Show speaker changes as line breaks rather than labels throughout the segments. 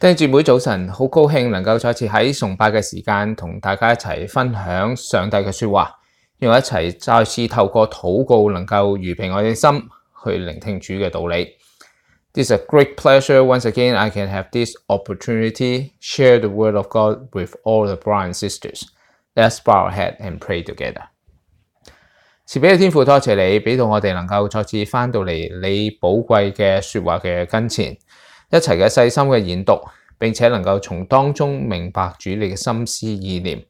弟兄姊妹早晨，好高興能夠再次喺崇拜嘅時間同大家一齊分享上帝嘅說話，讓我一齊再次透過禱告能夠預備我哋心去聆聽主嘅道理。This is a great pleasure once again I can have this opportunity share the word of God with all the brothers and sisters. Let's bow our head and pray together. 慈悲嘅天父，多謝你俾到我哋能夠再次翻到嚟你寶貴嘅說話嘅跟前。一齊嘅細心嘅研讀，並且能夠從當中明白主你嘅心思意念，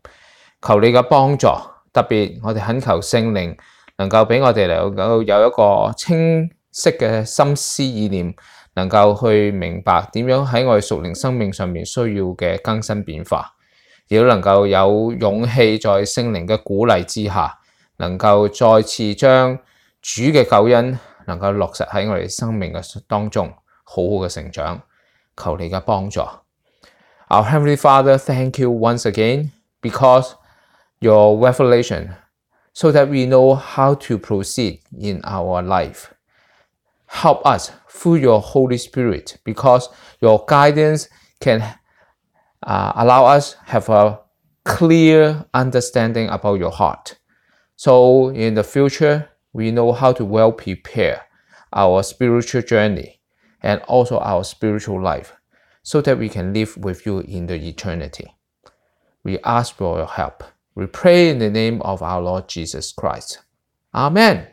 求你嘅幫助。特別我哋懇求聖靈能夠俾我哋能夠有一個清晰嘅心思意念，能夠去明白點樣喺我哋屬靈生命上面需要嘅更新變化，亦都能夠有勇氣在聖靈嘅鼓勵之下，能夠再次將主嘅救恩能夠落實喺我哋生命嘅當中。好好嘅成長，求你嘅幫助。Our Heavenly Father, thank you once again because your revelation, so that we know how to proceed in our life. Help us through your Holy Spirit, because your guidance can allow us have a clear understanding about your heart. So in the future, we know how to well prepare our spiritual journey.And also our spiritual life, so that we can live with you in the eternity. We ask for your help. We pray in the name of our Lord Jesus Christ. Amen.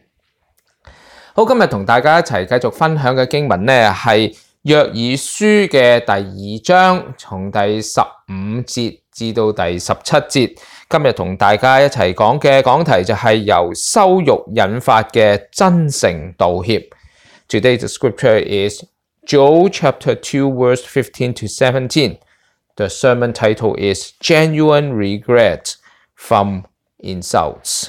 好，今日同大家一齊繼續分享嘅經文呢，係約珥書嘅第2章，從第15節至到第17節。今日同大家一齊講嘅講題就係由羞辱引發嘅真誠道歉。Today's scripture is Joel chapter 2 verse 15 to 17. The sermon title is Genuine Regret from Insults.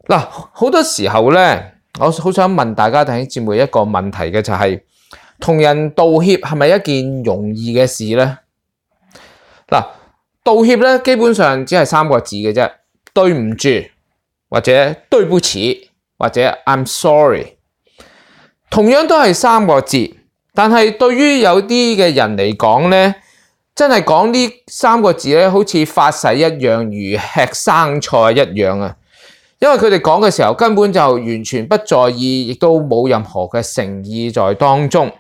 嗱，好多時候咧，我好想問大家弟兄姊妹一個問題嘅就係，同人道歉係咪一件容易嘅事咧？嗱，道歉咧基本上只係3個字嘅啫，對唔住，或者對不起，或者 I'm sorry。同樣都係3個字，但係對於有啲嘅人嚟講咧，真係講呢3個字咧，好似發誓一樣，如吃生菜一樣啊！因為佢哋講嘅時候根本就完全不在意，亦都冇任何嘅誠意在當中。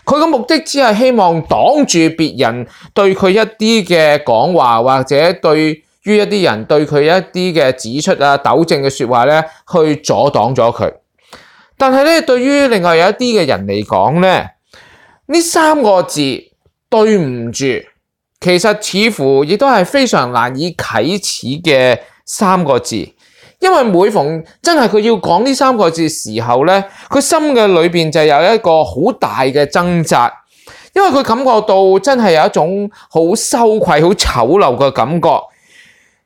佢嘅目的只係希望擋住別人對佢一啲嘅講話，或者對於一啲人對佢一啲嘅指出啊、糾正嘅說話咧，去阻擋咗佢。但係咧，對於另外有一啲嘅人嚟講咧，呢3個字對唔住，其實似乎亦都係非常難以啟齒嘅3個字，因為每逢真係佢要講呢3個字時候咧，佢心嘅裏邊就有一個好大嘅掙扎，因為佢感覺到真係有一種好羞愧、好醜陋嘅感覺。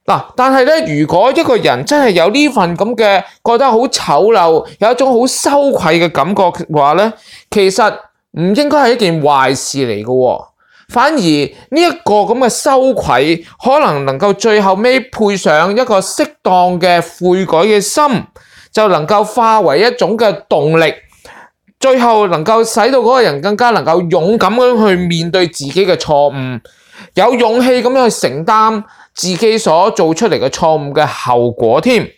嗱，但係咧，如果一個人真係有呢份咁嘅覺得好醜陋，有一種好羞愧嘅感覺嘅話咧，其實唔應該係一件壞事嚟嘅，反而呢一個咁嘅羞愧，可能夠最後尾配上一個適當嘅悔改嘅心，就能夠化為一種嘅動力，最後能夠使到嗰個人更加能夠勇敢咁去面對自己嘅錯誤，有勇氣咁樣去承擔自己所做出嚟嘅錯誤嘅後果添，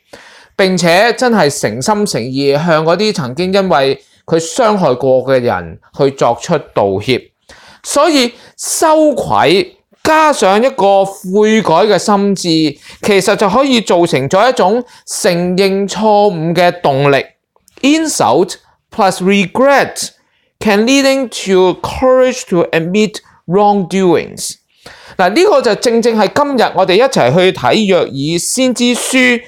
並且真係誠心誠意向嗰啲曾經因為佢傷害過嘅人去作出道歉。所以羞愧加上一個悔改嘅心志，其實就可以造成咗一種承認錯誤嘅動力。Insult plus regret can leading to courage to admit wrongdoings。嗱，呢個就正正係今日我哋一齊去睇約珥先知書，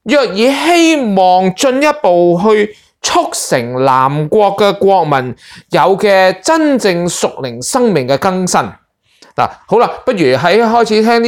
約珥希望進一步去促成南國嘅國民有嘅真正屬靈生命嘅更新。嗱，好啦，不如喺開始聽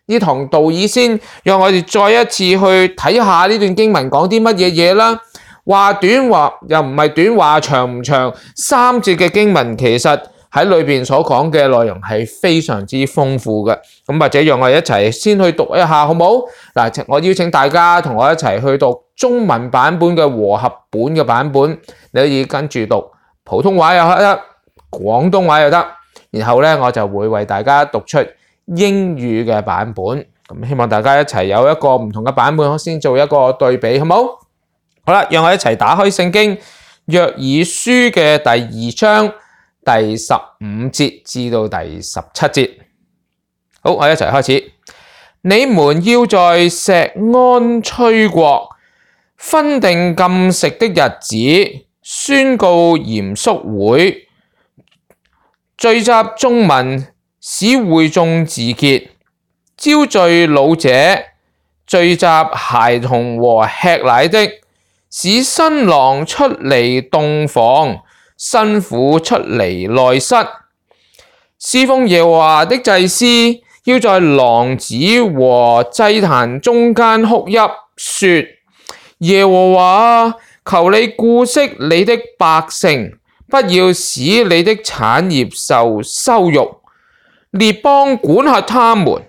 呢堂道以先，讓我哋再一次去睇下呢段經文講啲乜嘢嘢啦。話短話又唔係短，話長唔長，3節嘅經文其實喺裏邊所講嘅內容係非常之豐富嘅，咁或者讓我哋一齊先去讀一下好冇？嗱，我邀請大家同我一齊去讀中文版本嘅和合本嘅版本，你可以跟住讀普通話又得，廣東話又得，然後咧我就會為大家讀出英語嘅版本，咁希望大家一齊有一個唔同嘅版本，先做一個對比，好冇？好啦，讓我一齊打開聖經約珥書嘅第2章第15節至到第17節。好，我一齊開始。你們要在錫安吹角，分定禁食的日子，宣告嚴肅會，聚集眾民，使會眾自潔，招聚老者，聚集孩童和吃奶的，使新郎出離洞房，新婦出離內室。侍奉耶和華的祭司要在廊子和祭壇中間哭泣，說：耶和華，求你顧惜你的百姓，不要使你的產業受羞辱。列邦管轄他們，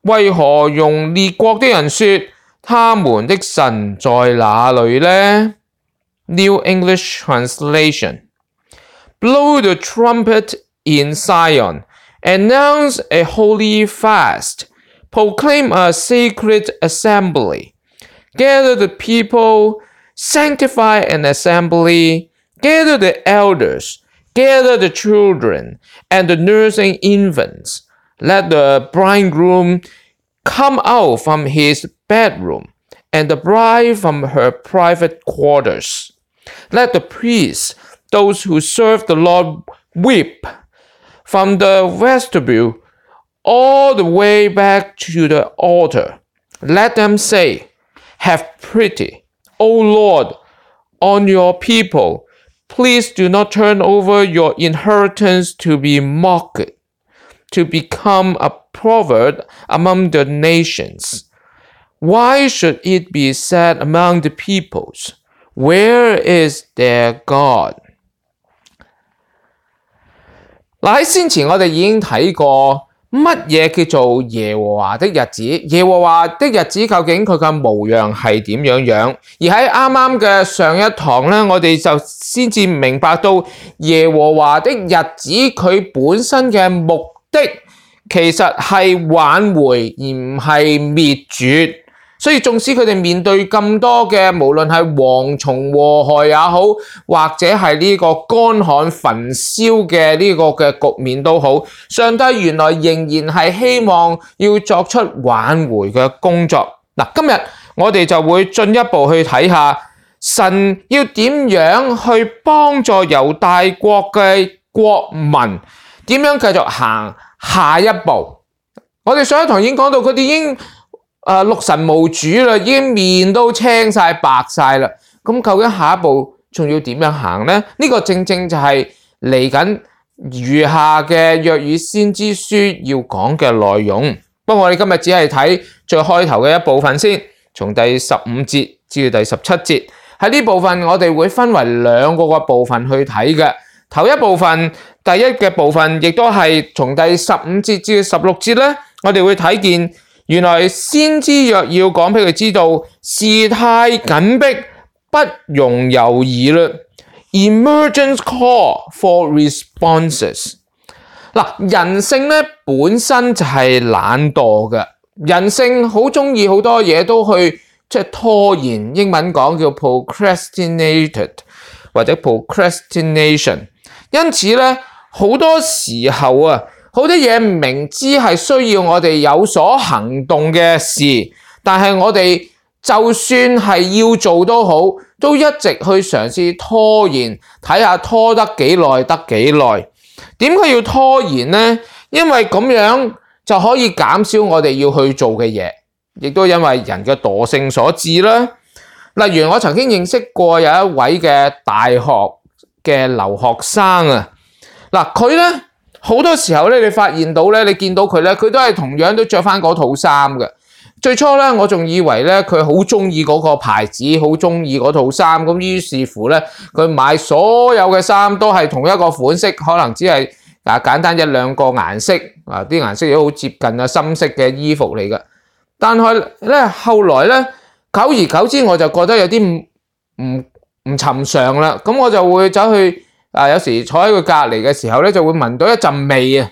為何用列國的人說他們的神在哪裏呢？ New English Translation. Blow the trumpet in Zion, announce a holy fast, proclaim a sacred assembly, gather the people, sanctify an assembly, gather the elders, gather the children and the nursing infants. Let the bridegroom come out from his bedroom, and the bride from her private quarters. Let the priests, those who serve the Lord, weep from the vestibule all the way back to the altar. Let them say, have pity, O Lord, on your people. Please do not turn over your inheritance to be mocked, to become a proverb among the nations. Why should it be said among the peoples, where is their God? 嗱，喺先前我哋已經睇過乜嘢叫做耶和華的日子，耶和華的日子究竟佢嘅模樣係點樣？而喺啱啱嘅上一堂咧，我哋就先至明白到耶和華的日子佢本身嘅目的其實係挽回而唔係滅絕。所以縱使佢哋面對咁多嘅無論係蝗蟲禍害也好，或者係呢個乾旱焚燒嘅呢個嘅局面都好，上帝原來仍然係希望要作出挽回嘅工作。嗱，今日我哋就會進一步去睇下神要點樣去幫助猶大國嘅國民點樣繼續行下一步。我哋上一堂已經講到佢哋已經六神無主啦，已經面都青晒白晒啦。咁究竟下一步仲要點樣行呢？呢個正正就係嚟緊餘下嘅約珥先知書要講嘅內容。不過我哋今日只係睇最開頭嘅一部分先，從第15節至到第17節。喺呢部分我哋會分為兩個部分去睇嘅。頭一部分，第一嘅部分亦都係從第15節至到16節咧，我哋會睇見原來先知約要講俾佢知道，事態緊迫，不容猶豫啦。Emergent call for responses。嗱，人性咧本身就係懶惰嘅，人性好中意好多嘢都去拖延，英文講叫 procrastinated 或者 procrastination。因此咧，好多時候啊，好多嘢明知係需要我哋有所行動嘅事，但係我哋就算係要做都好，都一直去嘗試拖延，睇下拖得幾耐得幾耐。點解要拖延呢？因為咁樣就可以減少我哋要去做嘅嘢，亦都因為人嘅惰性所致啦。例如我曾經認識過有一位嘅大學嘅留學生啊，嗱，佢咧好多時候咧，你發現到咧，你見到佢咧，佢都係同樣都着翻嗰套衫嘅。最初咧，我仲以為咧佢好中意嗰個牌子，好中意嗰套衫，咁於是乎咧，佢買所有嘅衫都係同一個款式，可能只係簡單一兩個顏色啊，啲顏色都好接近啊，深色嘅衣服嚟嘅。但係咧後來咧，久而久之我就覺得有啲唔尋常啦，咁我就會走去有時坐喺佢隔離嘅時候咧，就會聞到一陣味啊！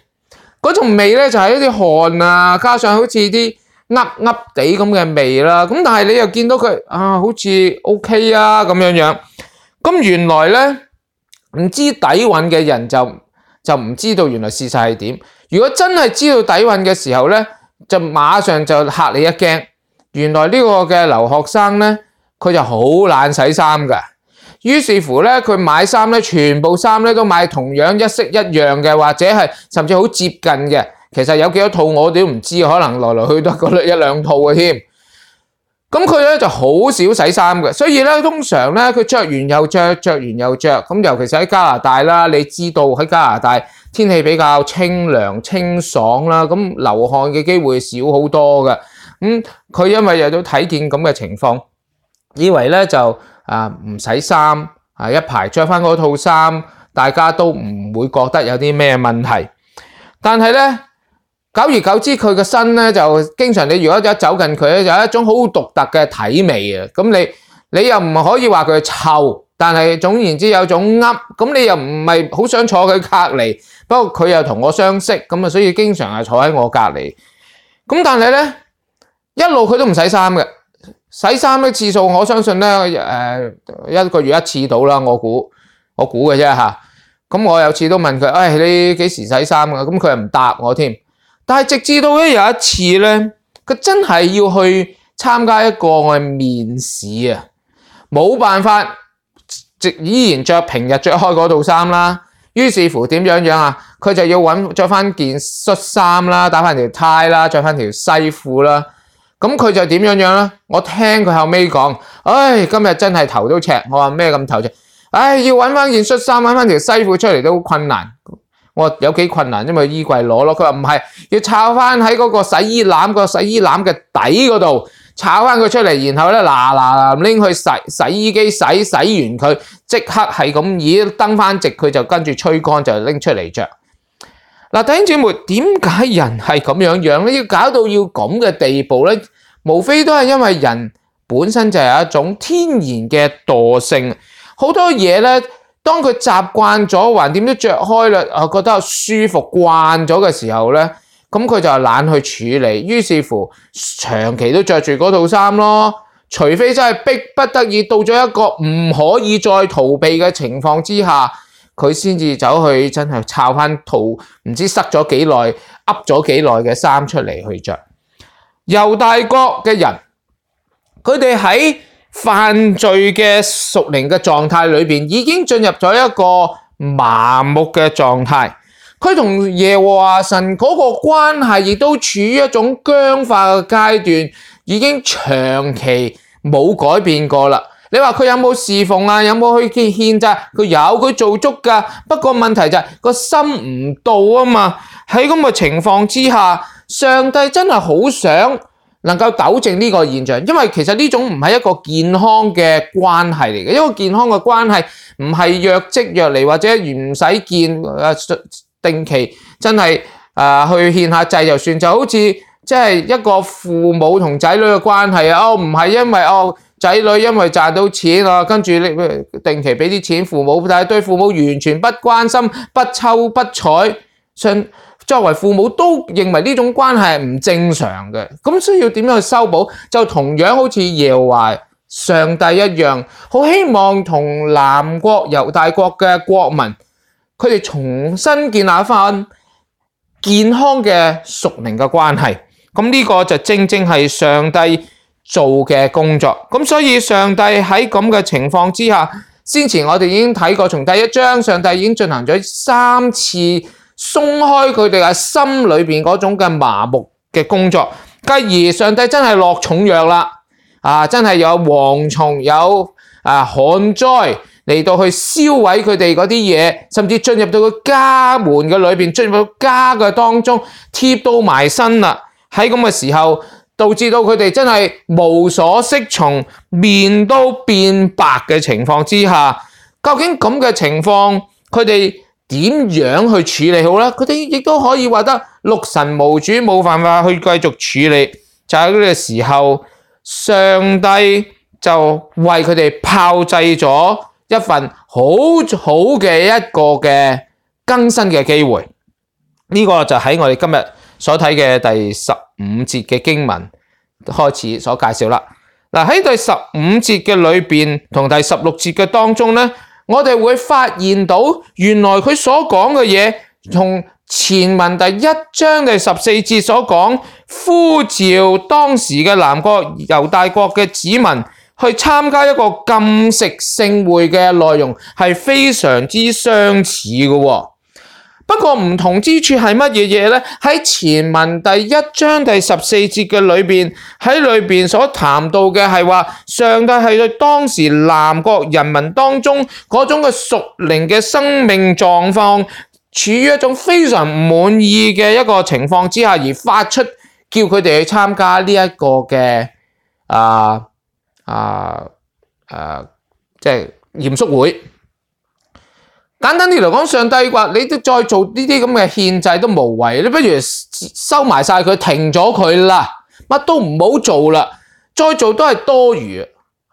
嗰種味咧就係一啲汗啊，加上好似啲噏噏地咁嘅味啦。咁但係你又見到佢好似 OK 啊咁樣。咁原來咧唔知底蘊嘅人就唔知道原來事實係點。如果真係知道底蘊嘅時候咧，就馬上就嚇你一驚。原來呢個嘅留學生咧，佢就好懶洗衫㗎。於是乎咧，佢買衫咧，全部衫咧都買同樣一式一樣嘅，或者係甚至好接近嘅。其實有幾多套我哋都唔知，可能來來去都嗰一兩套嘅添。咁佢咧就好少洗衫嘅，所以咧通常咧佢着完又着，着完又着。咁尤其是喺加拿大啦，你知道喺加拿大天氣比較清涼清爽啦，咁流汗嘅機會少好多嘅。佢因為又都睇見咁嘅情況，以為咧就唔洗衫一排着翻嗰套衫，大家都唔會覺得有啲咩問題。但係咧，久而久之佢個身咧就經常，你如果一走近佢咧，就有一種好獨特嘅體味啊！咁你又唔可以話佢臭，但係總言之有種噏，咁你又唔係好想坐佢隔離，不過佢又同我相識，咁所以經常係坐喺我隔離。咁但係咧，一路佢都唔洗衫嘅。洗衫嘅次數，我相信咧，一個月一次到啦。我估嘅啫嚇。咁我有次都問佢，你幾時洗衫啊？咁佢又唔答我添。但係直至到咧有一次咧，佢真係要去參加一個我嘅面試啊，冇辦法，依然着平日着開嗰套衫啦。於是乎點樣啊？佢就要着翻件恤衫啦，打翻條呔啦，着翻條西褲啦。咁佢就點樣啦？我聽佢後尾講，今日真係頭都赤。我話咩咁頭赤？要揾翻件恤衫，揾翻條西褲出嚟都好困難。我話有幾困難，因為衣櫃攞咯。佢話唔係，要抄翻喺嗰個洗衣籃嘅底嗰度，抄翻佢出嚟，然後咧嗱拎去洗衣機洗完佢，即刻係咁以登翻直，佢就跟住吹乾就拎出嚟着。嗱，弟兄姊妹，點解人係咁樣咧？要搞到要咁嘅地步咧？無非都係因為人本身就係一種天然嘅惰性，好多嘢咧，當佢習慣咗，橫掂都着開啦，覺得舒服慣咗嘅時候咧，咁佢就懶去處理，於是乎長期都着住嗰套衫咯。除非真係逼不得已到咗一個唔可以再逃避嘅情況之下，佢先至走去真係抄翻套唔知塞咗幾耐、噏咗幾耐嘅衫出嚟去着。猶大國嘅人，佢哋喺犯罪嘅屬靈嘅狀態裏邊，已經進入咗一個麻木嘅狀態。佢同耶和華神嗰個關係亦都處於一種僵化嘅階段，已經長期冇改變過啦。你話佢有冇侍奉啊？有冇去獻祭？佢有，佢做足㗎。不過問題就係個心唔到啊嘛。喺咁嘅情況之下，上帝真係好想能夠糾正呢個現象，因為其實呢種唔係一個健康嘅關係嚟嘅。一個健康嘅關係唔係若即若離，或者唔使見定期真係去獻下祭就算，就好似即係一個父母同仔女嘅關係啊。唔係因為仔女因為賺到錢啊，跟住定期俾啲錢父母，但係對父母完全不關心、不瞅不睬，作為父母都認為呢種關係係唔正常嘅。咁需要點樣去修補？就同樣好似耶和華上帝一樣，好希望同南國猶大國嘅國民，佢哋重新建立翻健康嘅屬靈嘅關係。咁呢個就正正係上帝做嘅工作。咁所以上帝喺咁嘅情況之下，先前我哋已經睇過，從第一章上帝已經進行咗3次鬆開佢哋嘅心裏邊嗰種嘅麻木嘅工作。繼而上帝真係落重藥啦，真係有蝗蟲，有旱災嚟到去燒毀佢哋嗰啲嘢，甚至進入到個家門嘅裏邊，進入到家嘅當中，貼到埋身啦。喺咁嘅時候，導致到佢哋真係無所適從，面都變白嘅情況之下，究竟咁嘅情況，佢哋點樣去處理好呢？佢哋亦都可以話得六神無主，冇辦法去繼續處理。就喺呢個時候，上帝就為佢哋炮製咗一份好好嘅一個嘅更新嘅機會。呢個就喺我哋今日所睇嘅第15節嘅經文開始所介紹啦。嗱，喺第15節嘅裏邊同第16節嘅當中咧，我哋會發現到原來佢所講嘅嘢同前文第1章第14節所講呼召當時嘅南國猶大國嘅子民去參加一個禁食聖會嘅內容係非常之相似嘅。不過唔同之處係乜嘢嘢呢？喺前文第1章第14節嘅裏邊，喺裏邊所談到嘅係話，上帝係對當時南國人民當中嗰種嘅屬靈嘅生命狀況，處於一種非常唔滿意嘅一個情況之下，而發出叫佢哋去參加呢一個嘅即係嚴肅會。簡單啲嚟講，上帝話你都再做呢啲咁嘅獻祭都無謂，你不如收埋晒佢，停咗佢啦，乜都唔好做啦，再做都係多餘。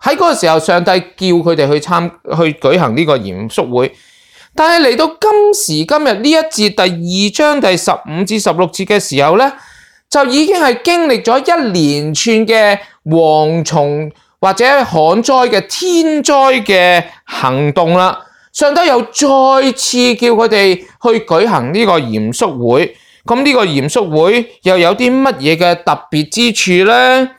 喺嗰個時候，上帝叫佢哋去舉行呢個嚴肅會，但係嚟到今時今日呢一節第2章第15至16節嘅時候咧，就已經係經歷咗一連串嘅蝗蟲或者旱災嘅天災嘅行動啦。上帝又再次叫佢哋去舉行呢個嚴肅會，咁呢個嚴肅會又有啲乜嘢嘅特別之處呢？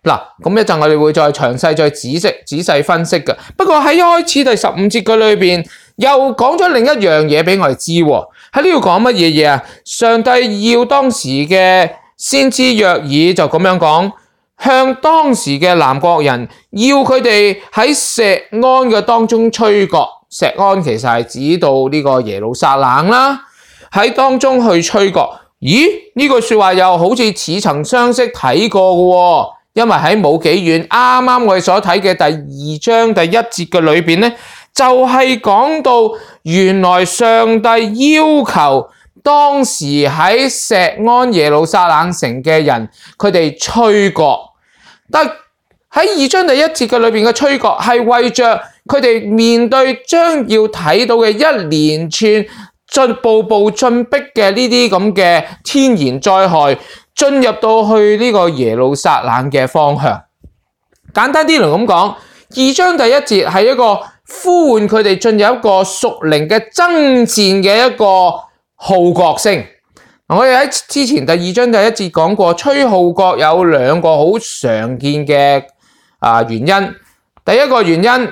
嗱，咁一陣我哋會再詳細再仔細分析嘅。不過喺一開始第15節嘅裏邊又講咗另一樣嘢俾我哋知喎。喺呢度講乜嘢嘢啊？上帝要當時嘅先知約珥就咁樣講，向當時嘅南國人要佢哋喺錫安嘅當中吹角。錫安其實係指到呢個耶路撒冷啦，喺當中去吹角。咦？呢句說話又好似似曾相識睇過嘅喎，因為喺冇幾遠，啱啱我哋所睇嘅第2章第1節嘅裏邊咧，就係講到原來上帝要求當時喺錫安耶路撒冷城嘅人，佢哋吹角。但喺2章第1節嘅裏邊嘅吹角係為着佢哋面對將要睇到嘅一連串步步進逼嘅呢啲咁嘅天然災害，進入到去呢個耶路撒冷嘅方向。簡單啲嚟咁講，2章第1節係一個呼喚佢哋進入一個屬靈嘅爭戰嘅一個號角聲。我哋喺之前第2章第1節講過，吹號角有2個好常見嘅原因。第一個原因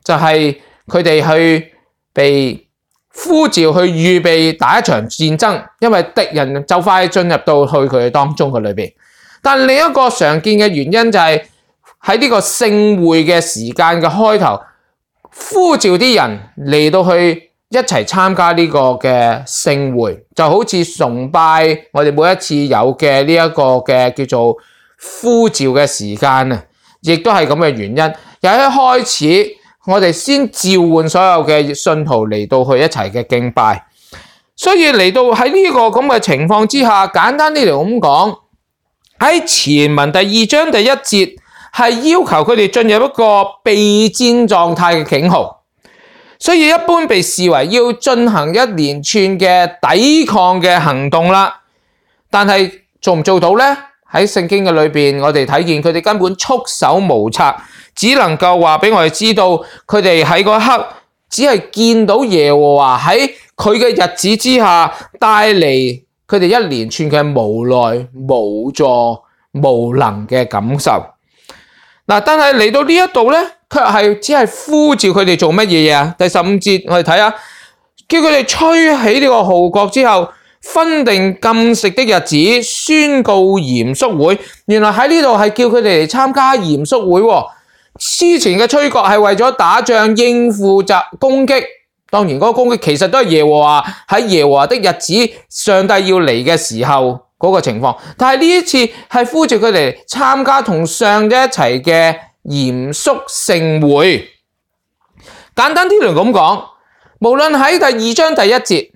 就係佢哋去被呼召去預備打一場戰爭，因為敵人就快進入到去佢哋當中嘅裏邊。但另一個常見嘅原因就係喺呢個聖會嘅時間嘅開頭，呼召啲人嚟到去一齊參加呢個嘅聖會，就好似崇拜我哋每一次有嘅呢一個嘅叫做呼召嘅時間啊，亦都係咁嘅原因。由一開始我哋先召喚所有嘅信徒嚟到去一齊嘅敬拜，所以嚟到喺呢個咁嘅情況之下，簡單啲嚟咁講，喺前文第2章第1節係要求佢哋進入一個備戰狀態嘅警號，所以一般被視為要進行一連串嘅抵抗嘅行動啦。但係做唔做到呢？喺聖經嘅裏邊，我哋睇見佢哋根本束手無策。只能夠話俾我哋知道，佢哋喺嗰一刻只係見到耶和華喺佢嘅日子之下帶嚟佢哋一連串嘅無奈、無助、無能嘅感受。嗱，但係嚟到呢一度咧，卻係只係呼召佢哋做乜嘢啊？第15節我哋睇下，叫佢哋吹起呢個號角之後，分定禁食的日子，宣告嚴肅會。原來喺呢度係叫佢哋嚟參加嚴肅會喎。之前嘅吹角係為咗打仗應付攻擊，當然嗰個攻擊其實都係耶和華喺耶和華的日子，上帝要嚟嘅時候嗰個情況。但係呢一次係呼召佢哋參加同上帝一齊嘅嚴肅聖會。簡單啲嚟咁講，無論喺第2章第1節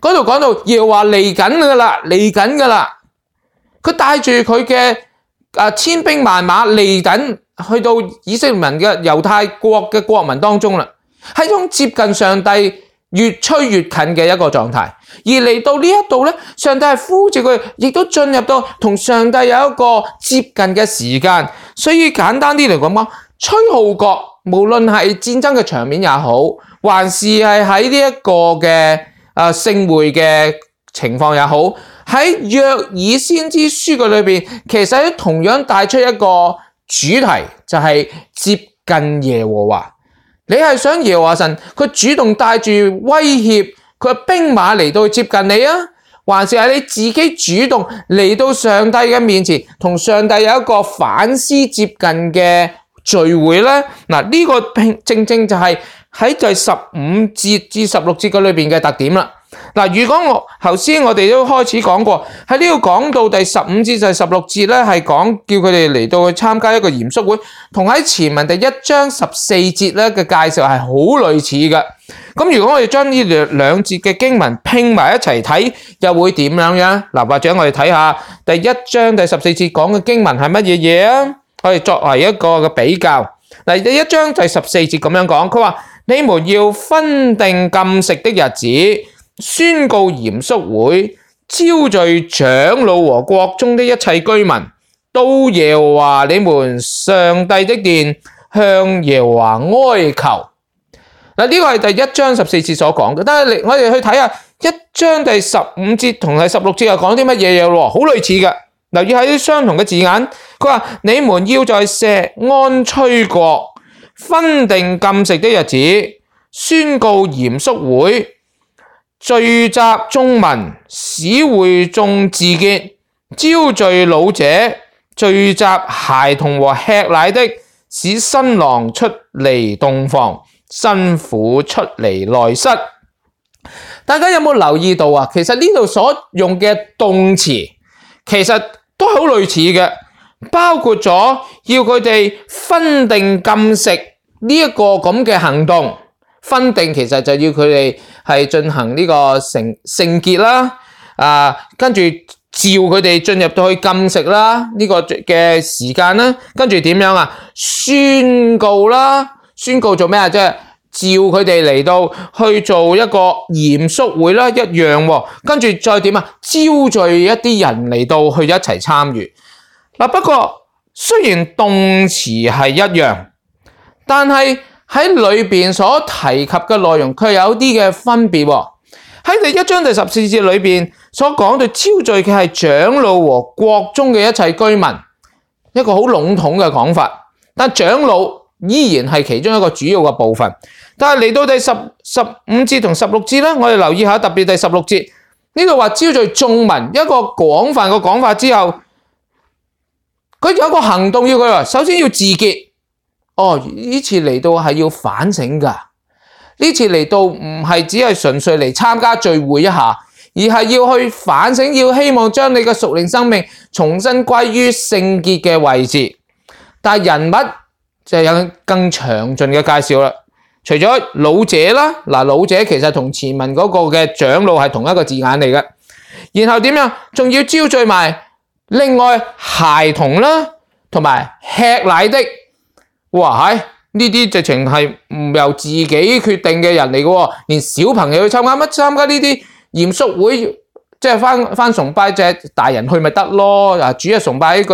嗰度講到耶和華嚟緊噶啦，嚟緊噶啦，佢帶住佢嘅千兵萬馬嚟緊，去到以色列民嘅猶太國嘅國民當中啦。係一種接近上帝越趨越近嘅一個狀態。而嚟到呢一度咧，上帝係呼召佢，亦都進入到同上帝有一個接近嘅時間。所以簡單啲嚟講，吹號角無論係戰爭嘅場面也好，還是係喺呢一個嘅聖會嘅情況也好，喺約珥先知書嘅裏邊，其實都同樣帶出一個主題，就係接近耶和華。你係想耶和華神佢主動帶住威脅佢嘅兵馬嚟到接近你啊，還是係你自己主動嚟到上帝嘅面前，同上帝有一個反思接近嘅聚會呢？嗱，呢個正正就係喺第15節至16節嘅裏邊嘅特點啦。嗱，如果頭先我哋都開始講過，喺呢度講到第15節至16節咧，係講叫佢哋嚟到去參加一個嚴肅會，同喺前文第1章14節咧嘅介紹係好類似嘅。咁如果我哋將呢兩節嘅經文拼埋一齊睇，又會點樣樣？嗱，或者我哋睇下第1章第14節講嘅經文係乜嘢嘢啊？我哋作為一個嘅比較。嗱，第1章第14節咁樣講，佢話：你們要分定禁食的日子，宣告嚴肅會，招聚長老和國中的一切居民，到耶和華你們上帝的殿，向耶和華哀求。嗱，呢個係第1章14節所講嘅，但係我哋去睇下1章第15節同第16節又講啲乜嘢嘢咯，好類似嘅。留意喺相同嘅字眼，佢話：你們要在錫安吹角，分定禁食的日子，宣告嚴肅會，聚集眾民，使會眾自潔，招聚老者，聚集孩童和吃奶的，使新郎出離洞房，新婦出離內室。大家有冇留意到啊？其實呢度所用嘅動詞其實都好類似嘅，包括咗要佢哋分定禁食呢一個咁嘅行動。分定其實就要佢哋係進行呢個聖潔啦，跟住召佢哋進入到去禁食啦，呢個嘅時間啦，跟住點樣啊？宣告啦，宣告做咩啊？即係召佢哋嚟到去做一個嚴肅會啦，一樣喎。跟住再點啊？招聚一啲人嚟到去一齊參與。嗱，不過雖然動詞係一樣，但係喺裏邊所提及嘅內容卻有啲嘅分別喎。喺第1章第14節裏邊所講到招聚嘅係長老和國中嘅一切居民，一個好籠統嘅講法。但長老依然係其中一個主要嘅部分。但係嚟到第15節同16節咧，我哋留意下，特別第16節呢度話招聚眾民，一個廣泛嘅講法之後，佢有一個行動要佢話，首先要自潔。呢次嚟到係要反省㗎，呢次嚟到唔係只係純粹嚟參加聚會一下，而係要去反省，要希望將你嘅屬靈生命重新歸於聖潔嘅位置。但係人物就有更詳盡嘅介紹啦。除咗老者啦，老者其實同前文嗰個嘅長老係同一個字眼嚟嘅。然後點樣？仲要招聚埋另外孩童啦，同埋吃奶的。哇！呢啲直情係唔由自己決定嘅人嚟嘅喎，連小朋友去參加呢啲嚴肅會，即係翻崇拜隻大人去咪得咯？主日崇拜呢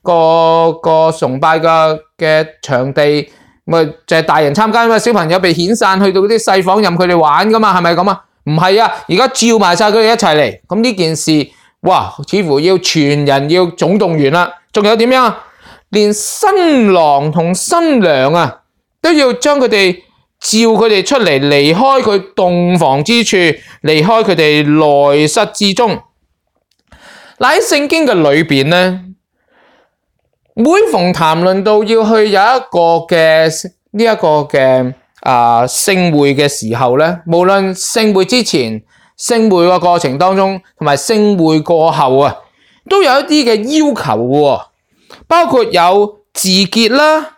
個崇拜嘅場地，咪就係大人參加嘛，小朋友被遣散去到嗰啲細房任佢哋玩噶嘛，係咪咁啊？唔係啊，而家召埋晒佢哋一齊嚟，咁呢件事，哇，似乎要全人要總動員啦。仲有點樣啊？連新郎同新娘啊，都要將佢哋召佢哋出嚟，離開佢洞房之處，離開佢哋內室之中。喺聖經嘅裏邊咧，每逢談論到要去有一個嘅呢一個嘅聖會嘅時候咧，無論聖會之前、聖會嘅過程當中，同埋聖會過後啊，都有一啲嘅要求嘅。包括有自潔啦、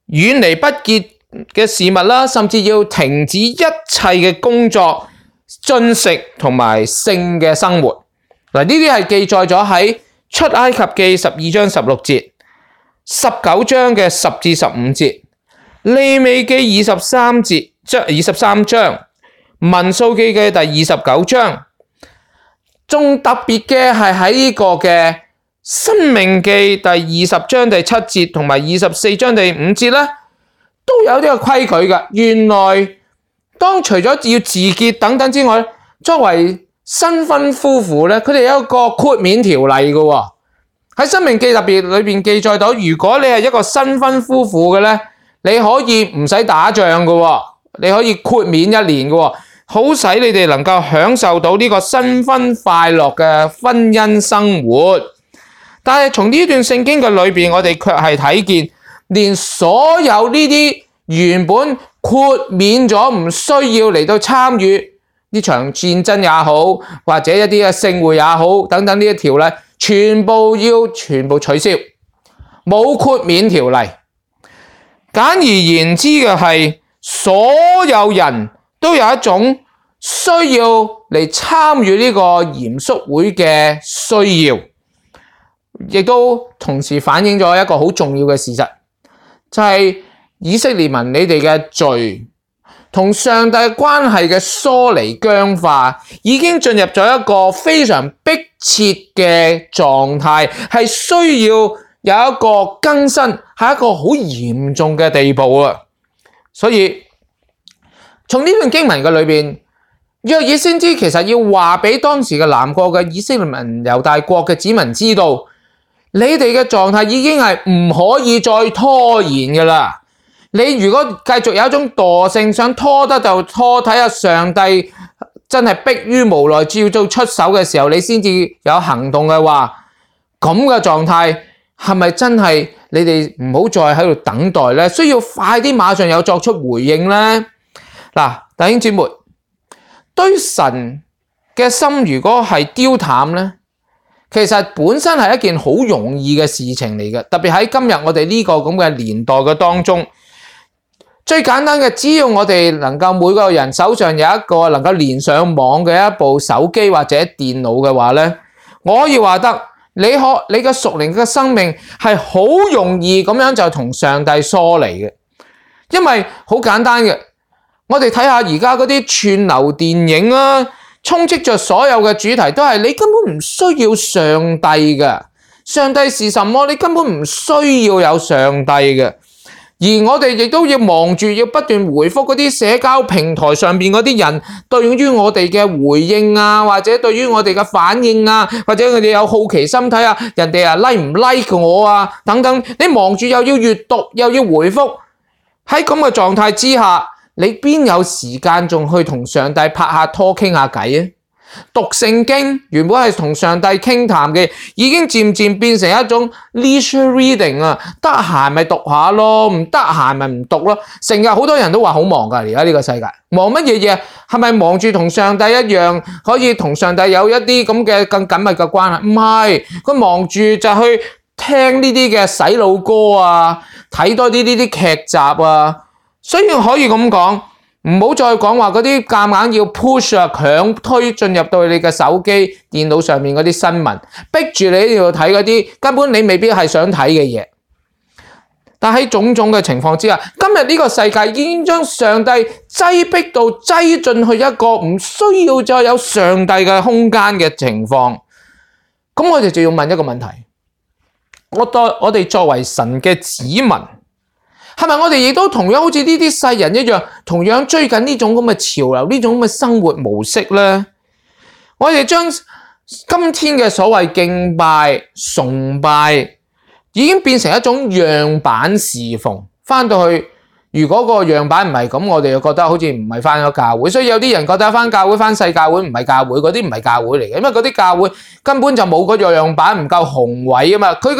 遠離不潔嘅事物啦，甚至要停止一切嘅工作、進食同埋性嘅生活。嗱，呢啲係記載咗喺出埃及記12章16節、19章嘅10至15節、利未記23節、23章，民數記嘅第29章，仲特別嘅係喺呢個嘅申命記第20章第7節同埋24章第5節咧，都有呢個規矩嘅。原來當除咗要自潔等等之外，作為新婚夫婦咧，佢哋有一個豁免條例嘅喎。喺申命記特別裏邊記載到，如果你係一個新婚夫婦嘅咧，你可以唔使打仗嘅喎，你可以豁免1年嘅喎，好使你哋能夠享受到呢個新婚快樂嘅婚姻生活。但係從呢段聖經嘅裏邊，我哋卻係睇見，連所有呢啲原本豁免咗唔需要嚟到參與呢場戰爭也好，或者一啲嘅聖會也好，等等呢啲條例，全部取消，冇豁免條例。簡而言之嘅係，所有人都有一種需要嚟參與呢個嚴肅會嘅需要，亦都同時反映咗一個好重要嘅事實，就係以色列民你哋嘅罪同上帝關係嘅疏離僵化，已經進入咗一個非常迫切嘅狀態，係需要有一個更新，係一個好嚴重嘅地步啊！所以從呢段經文嘅裏邊，約珥先知其實要話俾當時嘅南國嘅以色列民、猶大國嘅子民知道，你哋嘅狀態已經係唔可以再拖延㗎啦。你如果繼續有一種惰性，想拖得就拖，睇下上帝真係迫於無奈照做出手嘅時候，你先至有行動嘅話，咁嘅狀態係咪真係你哋唔好再喺度等待咧？需要快啲馬上有作出回應咧？嗱，弟兄姊妹，對神嘅心如果係丟淡咧，其實本身係一件好容易嘅事情嚟嘅，特別喺今日我哋呢個咁嘅年代嘅當中。最簡單嘅，只要我哋能夠每個人手上有一個能夠連上網嘅一部手機或者電腦嘅話咧，我可以話得你嘅屬靈嘅生命係好容易咁樣就同上帝疏離嘅，因為好簡單嘅，我哋睇下而家嗰啲串流電影啊，充斥着所有嘅主題都係你根本唔需要上帝嘅，上帝是什麼？你根本唔需要有上帝嘅。而我哋亦都要忙住要不斷回覆嗰啲社交平台上邊嗰啲人對於我哋嘅回應啊，或者對於我哋嘅反應啊，或者佢哋有好奇心睇下人哋啊 like 唔 like 我啊等等，你忙住又要閱讀又要回覆，喺咁嘅狀態之下，你邊有時間仲去同上帝拍下拖傾下偈啊？讀聖經原本係同上帝傾談嘅，已經漸漸變成一種 leisure reading 啊，得閒咪讀下咯，唔得閒咪唔讀咯。成日好多人都話好忙㗎，而家呢個世界忙乜嘢嘢？係咪忙住同上帝一樣，可以同上帝有一啲咁嘅更緊密嘅關係？唔係，佢忙住就去聽呢啲嘅洗腦歌啊，睇多啲呢啲劇集啊，所以可以咁講。唔好再講話嗰啲夾硬要 push 啊，強推進入到你嘅手機、電腦上面嗰啲新聞，逼住你要睇嗰啲根本你未必係想睇嘅嘢。但喺種種嘅情況之下，今日呢個世界已經將上帝擠迫到擠進去一個唔需要再有上帝嘅空間嘅情況。咁我哋就要問一個問題：我哋作為神嘅子民，係咪我哋亦都同樣好似呢啲世人一樣，同樣追緊呢種咁嘅潮流，呢種咁嘅生活模式咧？我哋將今天嘅所謂敬拜、崇拜，已經變成一種樣板侍奉。翻到去，如果個樣板唔係咁，我哋就覺得好似唔係翻咗教會。所以有啲人覺得翻教會、翻細教會唔係教會，嗰啲唔係教會嚟嘅，因為嗰啲教會根本就冇嗰個樣板，唔夠宏偉啊嘛。佢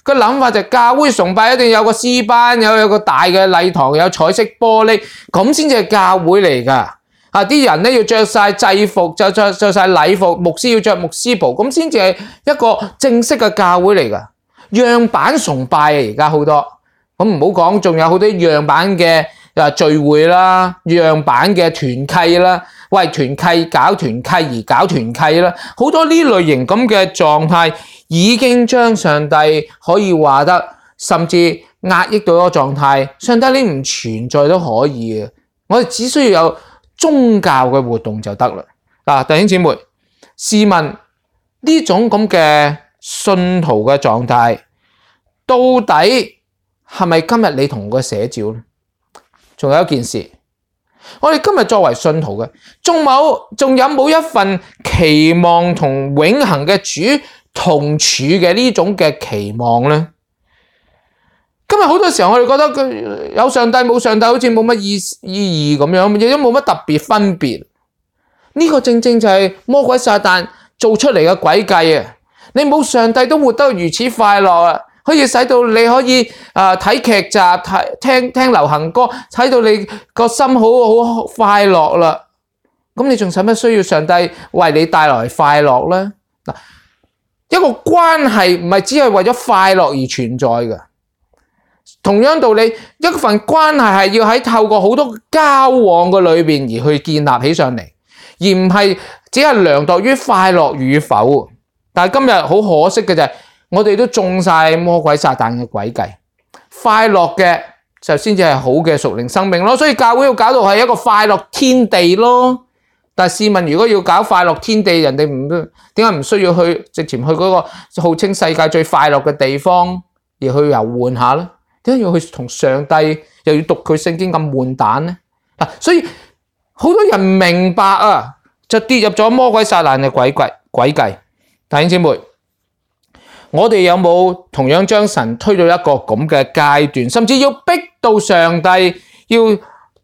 個諗法就係教會崇拜一定有個詩班，有個大嘅禮堂，有彩色玻璃，咁先至係教會嚟㗎。啊！啲人咧要着晒制服，着晒禮服，牧師要着牧師袍，咁先至係一個正式嘅教會嚟㗎。樣板崇拜啊，而家好多。咁唔好講，仲有好多樣板嘅聚會啦，樣板嘅團契啦，為團契搞團契而搞團契啦，好多呢類型咁嘅狀態已經將上帝可以話得甚至壓抑到一個狀態，上帝你唔存在都可以嘅。我哋只需要有宗教嘅活動就得啦。弟兄姊妹，試問呢種咁嘅信徒嘅狀態，到底係咪今日你同我嘅寫照咧？仲有一件事，我哋今日作為信徒嘅，仲有冇一份期望同永恆嘅主同處嘅呢種嘅期望咧？今日好多時候我哋覺得有上帝冇上帝好似冇乜意義咁樣，亦都冇乜特別分別。呢個正正就係魔鬼撒旦做出嚟嘅詭計啊！你冇上帝都活得如此快樂啊，可以使到你可以睇劇集、聽流行歌，睇到你個心好快樂啦。咁你仲使乜需要上帝為你帶來快樂咧？嗱，一個關係唔係只係為咗快樂而存在嘅。同樣道理，一份關係係要喺透過好多交往嘅裏邊而去建立起上嚟，而唔係只係量度於快樂與否。但係今日好可惜嘅就係，我哋都中晒魔鬼撒旦嘅詭計，快樂嘅就先至係好嘅屬靈生命咯。所以教會要搞到係一個快樂天地咯。但係試問，如果要搞快樂天地，人哋點解唔需要直前去嗰個號稱世界最快樂嘅地方而去遊玩下咧？點解要去同上帝又要讀佢聖經咁悶蛋咧？所以好多人明白啊，就跌入咗魔鬼撒旦嘅詭計。弟兄姊妹，我哋有冇同樣將神推到一個咁嘅階段，甚至要逼到上帝要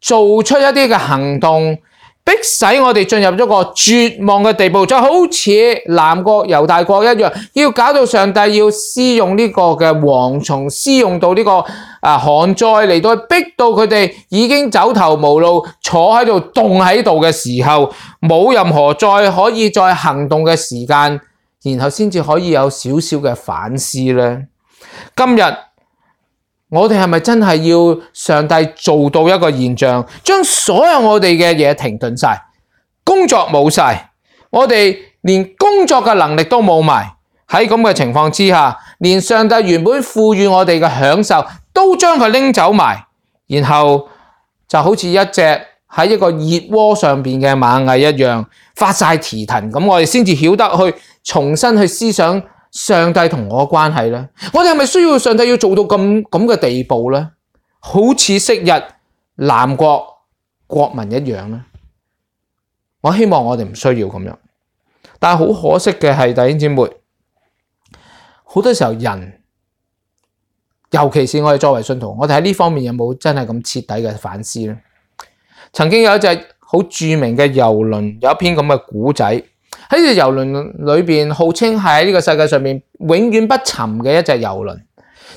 做出一啲嘅行動，逼使我哋進入咗個絕望嘅地步，就好似南國猶大國一樣，要搞到上帝要施用呢個嘅蝗蟲，施用到呢個旱災嚟到逼到佢哋已經走投無路，坐喺度凍喺度嘅時候，冇任何可以再行動嘅時間，然後先至可以有少少嘅反思咧。今日我哋係咪真係要上帝做到一個現象，將所有我哋嘅嘢停頓晒，工作冇晒，我哋連工作嘅能力都冇埋，喺咁嘅情況之下，連上帝原本賦予我哋嘅享受都將佢拎走埋，然後就好似一隻喺一個熱鍋上邊嘅螞蟻一樣發晒蹄騰，咁我哋先至曉得去重新去思想上帝同我嘅關係咧。我哋係咪需要上帝要做到咁嘅地步咧？好似昔日南國國民一樣咧？我希望我哋唔需要咁樣，但係好可惜嘅係，弟兄姊妹，好多時候人，尤其是我哋作為信徒，我哋喺呢方面有冇真係咁徹底嘅反思咧？曾經有一隻好著名嘅郵輪，有一篇咁嘅古仔，喺呢隻郵輪裏邊，號稱係喺呢個世界上面永遠不沉嘅一隻郵輪，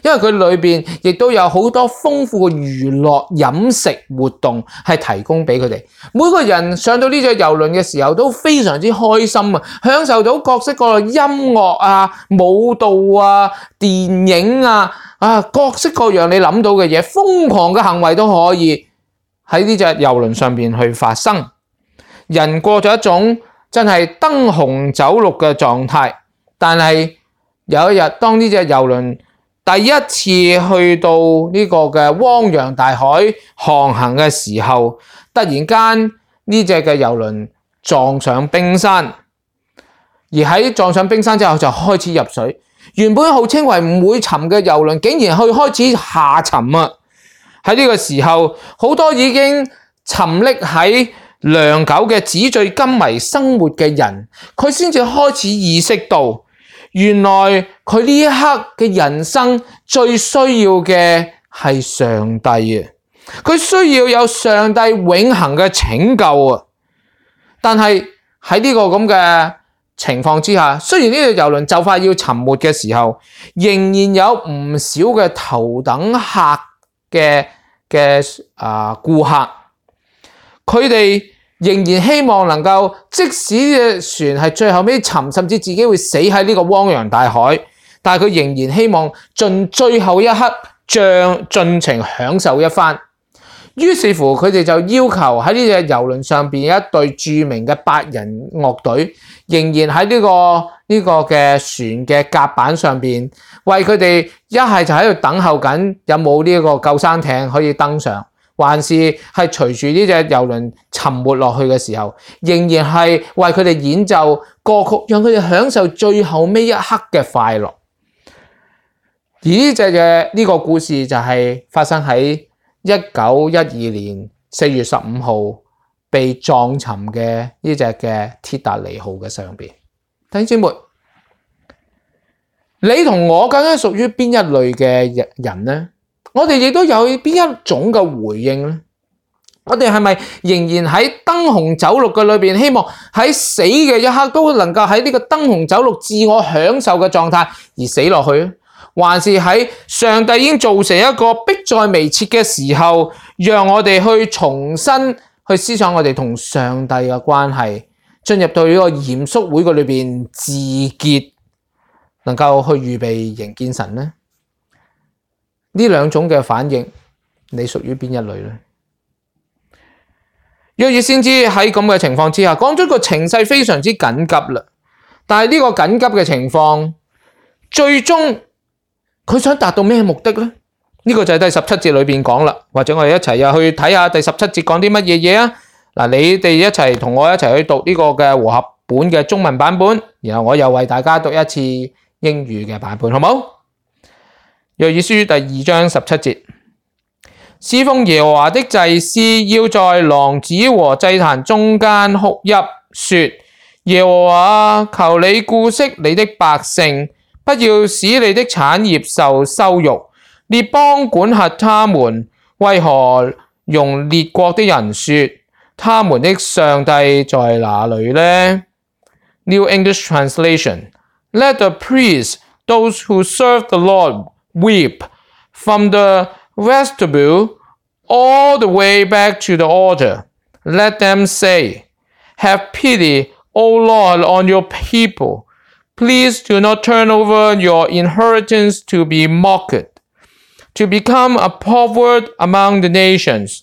因為佢裏邊亦都有好多豐富嘅娛樂飲食活動係提供俾佢哋。每個人上到呢隻郵輪嘅時候都非常之開心啊，享受到各式各樣音樂啊、舞蹈啊、電影啊、各式各樣你諗到嘅嘢，瘋狂嘅行為都可以喺呢隻郵輪上邊去發生。人過咗一種真係燈紅酒綠嘅狀態，但係有一日當呢隻郵輪第一次去到呢個嘅汪洋大海航行嘅時候，突然間呢隻嘅郵輪撞上冰山，而喺撞上冰山之後就開始入水。原本號稱為唔會沉嘅郵輪，竟然開始下沉啊！喺呢個時候，好多已經沉溺喺良久嘅紙醉金迷生活嘅人，佢先至開始意識到，原來佢呢一刻嘅人生最需要嘅係上帝啊！佢需要有上帝永恆嘅拯救啊！但係喺呢個咁嘅情況之下，雖然呢個郵輪就快要沉沒嘅時候，仍然有唔少嘅頭等客嘅顧客，佢哋仍然希望能夠，即使嘅船係最後尾沉，甚至自己會死喺呢個汪洋大海，但係佢仍然希望盡最後一刻盡情享受一番。於是乎，佢哋就要求喺呢隻郵輪上邊有一隊著名嘅8人樂隊，仍然喺呢個嘅船嘅甲板上邊，為佢哋一係就喺度等候緊有冇呢個救生艇可以登上，還是係隨住呢隻郵輪沉沒落去嘅時候，仍然係為佢哋演奏歌曲，讓佢哋享受最後尾一刻嘅快樂。而呢個故事就係發生喺1912年4月15號被撞沉嘅呢隻嘅鐵達尼號嘅上邊。弟兄姊妹，你同我究竟屬於邊一類嘅人呢？我哋亦都有邊一種嘅回應呢？我哋係咪仍然喺燈紅酒綠嘅裏邊，希望喺死嘅一刻都能夠喺呢個燈紅酒綠自我享受嘅狀態而死落去呢？還是喺上帝已經造成一個迫在眉睫嘅時候，讓我哋去重新去思想我哋同上帝嘅關係，進入到呢個嚴肅會嘅裏邊自潔，能夠去預備迎見神呢？呢兩種嘅反應，你屬於邊一類呢？約珥先知喺咁嘅情況之下，講咗個情勢非常之緊急啦。但係呢個緊急嘅情況，最終佢想達到咩目的呢？呢個就係第17節裏邊講啦。或者我哋一齊又去睇下第17節講啲乜嘢嘢啊？嗱，你哋一齊同我一齊去讀呢個嘅和合本嘅中文版本，然後我又為大家讀一次英語嘅版本，好冇？約珥書第2章17節，侍奉耶和華的祭司要在廊子和祭壇中間哭泣，說：耶和華，求你顧惜你的百姓，不要使你的產業受羞辱。列邦管轄他們，為何容列國的人說，他們的上帝在哪裏呢？ New English Translation. Let the priests, those who serve the Lord, weep from the vestibule all the way back to the altar. Let them say, have pity, O Lord, on your people. Please do not turn over your inheritance to be mocked, to become a proverb among the nations.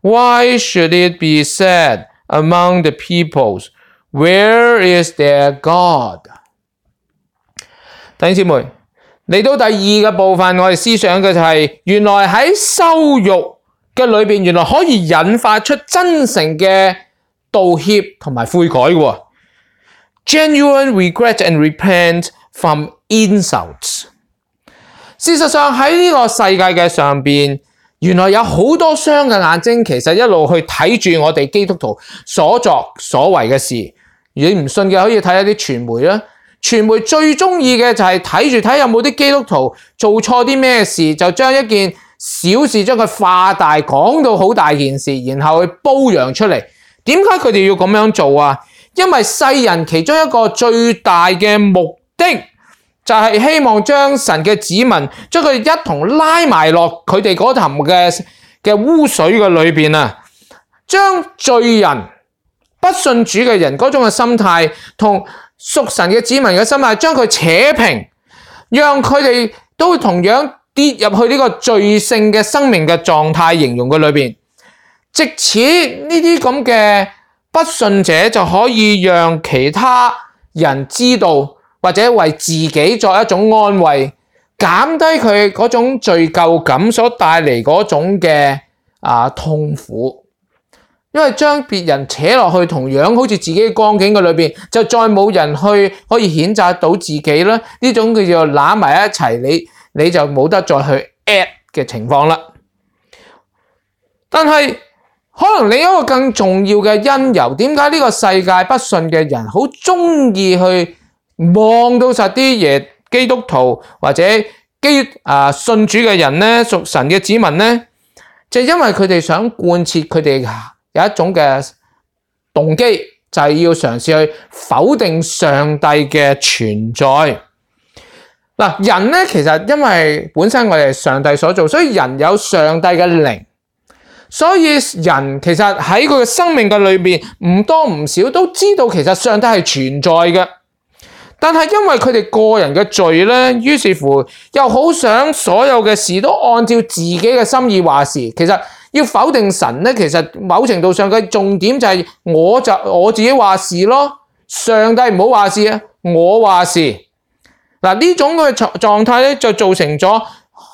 Why should it be said among the peoples, where is their God? 弟兄姊妹，嚟到第二個部分，我哋思想嘅就係，原來喺羞辱嘅裏邊，原來可以引發出真誠嘅道歉同埋悔改嘅。Genuine regret and repent from insults。事實上喺呢個世界嘅上邊，原來有好多雙嘅眼睛，其實一路去睇住我哋基督徒所作所為嘅事。如果你唔信嘅，可以睇一啲傳媒啦。傳媒最中意嘅就係睇有冇啲基督徒做錯啲咩事，就將一件小事將佢化大，講到好大件事，然後去褒揚出嚟。點解佢哋要咁樣做啊？因為世人其中一個最大嘅目的，就係希望將神嘅子民將佢一同拉埋落佢哋嗰潭嘅污水嘅裏邊啊，將罪人不信主嘅人嗰種嘅心態同屬神嘅子民嘅心態，將佢扯平，讓佢哋都同樣跌入去呢個罪性嘅生命嘅狀態形容嘅裏邊，藉此呢啲咁嘅不信者就可以讓其他人知道，或者為自己作一種安慰，減低佢嗰種罪疚感所帶嚟嗰種嘅痛苦。因為將別人扯落去同樣好似自己嘅光景嘅裏邊，就再冇人去可以譴責到自己啦。呢種叫做攬埋一齊，你就冇得再去 at 嘅情況啦。但係可能另一個更重要嘅因由，點解呢個世界不信嘅人好中意去望到實啲嘢基督徒或者信主嘅人呢，屬神嘅子民呢，就因為佢哋想貫徹佢哋有一種嘅動機，就係要嘗試去否定上帝嘅存在。人呢，其實因為本身我哋係上帝所做，所以人有上帝嘅靈，所以人其實喺佢嘅生命嘅裏面唔多唔少都知道其實上帝係存在嘅。但係因為佢哋個人嘅罪呢，於是乎又好想所有嘅事都按照自己嘅心意話事。其實要否定神呢，其實某程度上嘅重點就係我自己話事咯，上帝唔好話事啊，我話事。呢種嘅狀態咧，就造成咗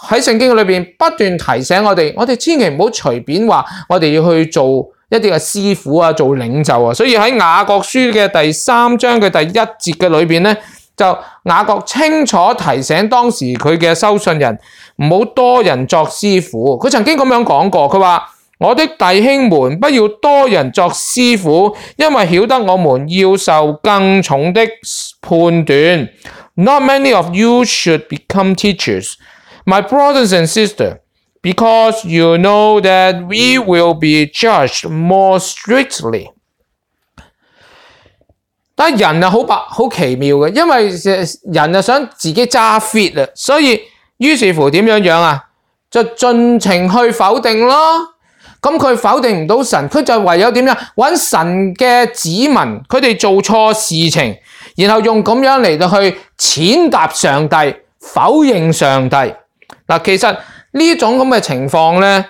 喺聖經裏邊不斷提醒我哋千祈唔好隨便話我哋要去做一啲嘅師傅啊，做領袖啊。所以喺雅各書嘅第3章嘅第1節嘅裏邊咧，就雅各清楚提醒當時佢嘅收信人唔好多人作師傅。佢曾經咁樣講過，佢話：我的弟兄們，不要多人作師傅，因為曉得我們要受更重的判斷。Not many of you should become teachers, my brothers and sisters, because you know that we will be judged more strictly。但係人好奇妙嘅，因為人想自己揸 fit 啊，所以於是乎點樣啊？就盡情去否定咯。咁佢否定唔到神，佢就唯有點樣揾神嘅子民，佢哋做錯事情，然後用咁樣嚟到去踐踏上帝，否認上帝。嗱，其實呢種咁嘅情況咧，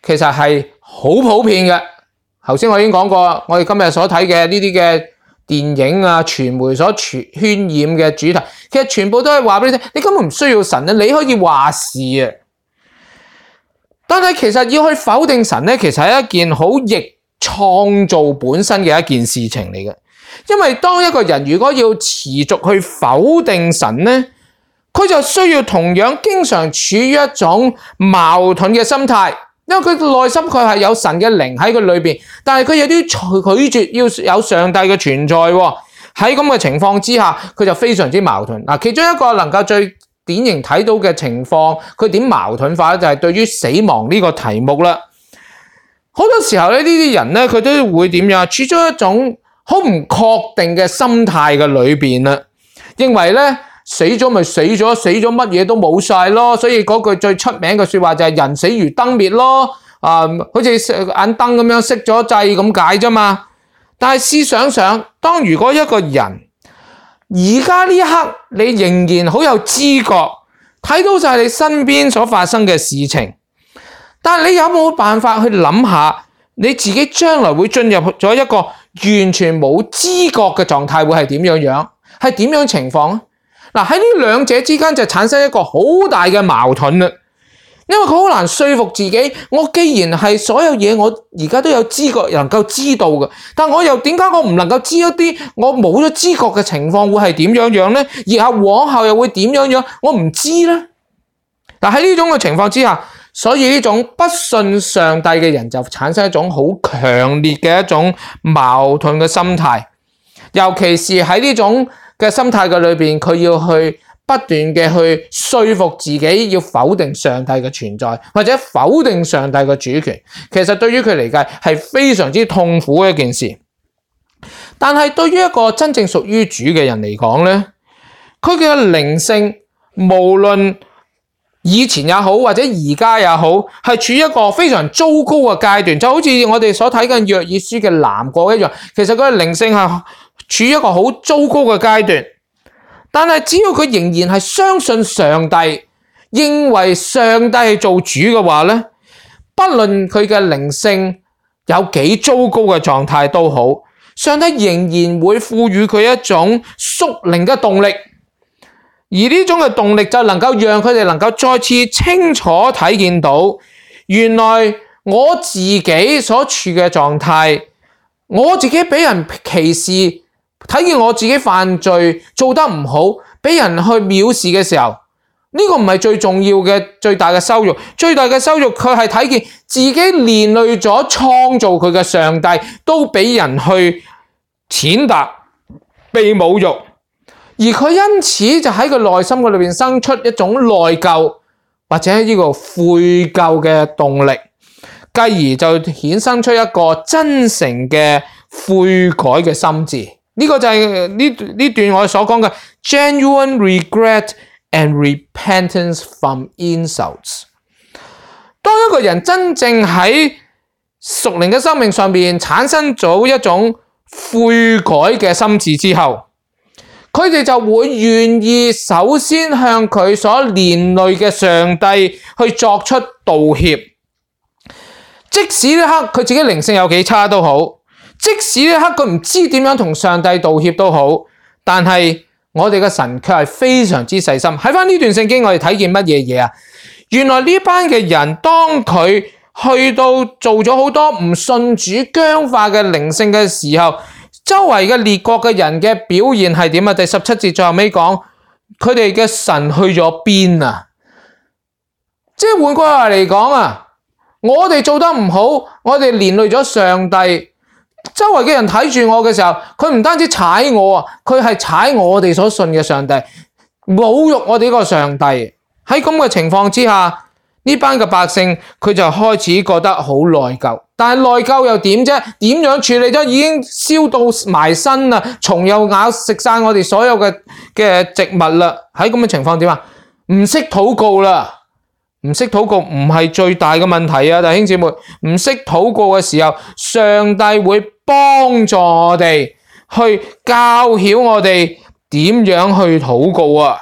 其實係好普遍嘅。頭先我已經講過，我哋今日所睇嘅呢啲嘅電影啊、傳媒所渲染嘅主題，其實全部都係話俾你聽，你根本唔需要神啊，你可以話事啊。但係其實要去否定神咧，其實係一件好逆創造本身嘅一件事情嚟嘅。因為當一個人如果要持續去否定神咧，佢就需要同樣經常處於一種矛盾嘅心態，因為佢內心佢係有神嘅靈喺佢裏邊，但係佢有啲拒絕要有上帝嘅存在喎。喺咁嘅情況之下，佢就非常之矛盾。嗱，其中一個能夠最典型睇到嘅情況，佢點矛盾化咧？就係對於死亡呢個題目啦。好多時候咧，呢啲人咧，佢都會點樣？處咗一種好唔確定嘅心態嘅裏邊啦，認為咧死咗咪死咗，死咗乜嘢都冇晒咯。所以嗰句最出名嘅說話就係人死如燈滅咯。好似眼燈咁樣熄咗掣咁解啫嘛。但係試想想，當如果一個人而家呢一刻，你仍然好有知覺，睇到晒你身邊所發生嘅事情，但係你有冇辦法去諗下，你自己將來會進入咗一個完全冇知覺嘅狀態，會係點樣？係點樣情況？嗱，喺呢兩者之間就產生一個好大嘅矛盾啦。因為佢好難說服自己，我既然係所有嘢我而家都有知覺能夠知道嘅，但我又點解我唔能夠知一啲我冇咗知覺嘅情況會係點樣呢？而係往後又會點樣？我唔知呢。但喺呢種嘅情況之下，所以呢種不信上帝嘅人就產生一種好強烈嘅一種矛盾嘅心態，尤其是喺呢種嘅心態嘅裏邊，佢要去不斷嘅去說服自己要否定上帝嘅存在，或者否定上帝嘅主權，其實對於佢嚟計係非常之痛苦嘅一件事。但係對於一個真正屬於主嘅人嚟講咧，佢嘅靈性無論以前也好，或者而家也好，係處於一個非常糟糕嘅階段，就好似我哋所睇緊約珥書嘅南國一樣。其實佢嘅靈性係處於一個好糟糕嘅階段。但係只要佢仍然係相信上帝，認為上帝係做主嘅話咧，不論佢嘅靈性有幾糟糕嘅狀態都好，上帝仍然會賦予佢一種屬靈嘅動力，而呢種嘅動力就能夠讓佢哋能夠再次清楚睇見到，原來我自己所處嘅狀態，我自己俾人歧視，睇見我自己犯罪做得唔好，俾人去藐視嘅時候，呢個唔係最重要嘅最大嘅羞辱，最大嘅羞辱佢係睇見自己連累咗創造佢嘅上帝都俾人去踐踏、被侮辱，而佢因此就喺佢內心嘅裏邊生出一種內疚或者呢個悔疚嘅動力，繼而就衍生出一個真誠嘅悔改嘅心志。呢個就係呢段我所講嘅 genuine regret and repentance from insults。當一個人真正喺屬靈嘅生命上面產生咗一種悔改嘅心志之後，佢哋就會願意首先向佢所連累嘅上帝去作出道歉。即使呢刻佢自己靈性有幾差都好，即使呢刻佢唔知點樣同上帝道歉都好，但係我哋嘅神卻係非常之細心。喺翻呢段聖經，我哋睇見乜嘢嘢啊？原來呢班嘅人，當佢去到做咗好多唔信主僵化嘅靈性嘅時候，周圍嘅列國嘅人嘅表現係點啊？第17節最後尾講，佢哋嘅神去咗邊啊？即係換句話嚟講啊，我哋做得唔好，我哋連累咗上帝。周圍嘅人睇住我嘅時候，佢唔單止踩我啊，佢係踩我哋所信嘅上帝，侮辱我哋呢個上帝。喺咁嘅情況之下，呢班嘅百姓佢就開始覺得好內疚。但係內疚又點啫？點樣處理啫？已經燒到埋身啦，蟲又咬食晒我哋所有嘅植物啦。喺咁嘅情況點啊？唔識禱告啦。唔識禱告唔係最大嘅問題啊，弟兄姊妹，唔識禱告嘅時候，上帝會幫助我哋去教曉我哋點樣去禱告啊。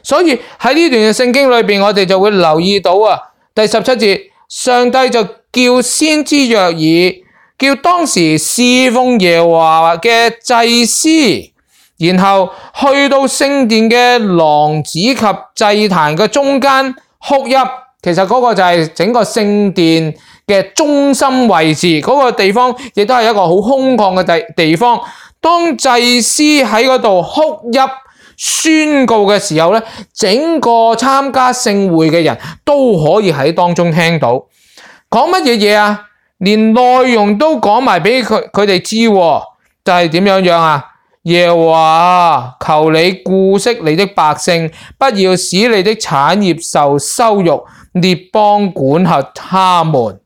所以喺呢段嘅聖經裏邊，我哋就會留意到啊，第17節，上帝就叫先知約珥，叫當時侍奉耶和華嘅祭司，然後去到聖殿嘅廊子及祭壇嘅中間哭泣。其實嗰個就係整個聖殿嘅中心位置，嗰個地方亦都係一個好空曠嘅地方。當祭司喺嗰度哭泣宣告嘅時候咧，整個參加聖會嘅人都可以喺當中聽到。講乜嘢嘢啊？連內容都講埋俾佢哋知，就係點樣樣啊？耶和華，求你顧惜你的百姓，不要使你的產業受羞辱，列邦管轄他們。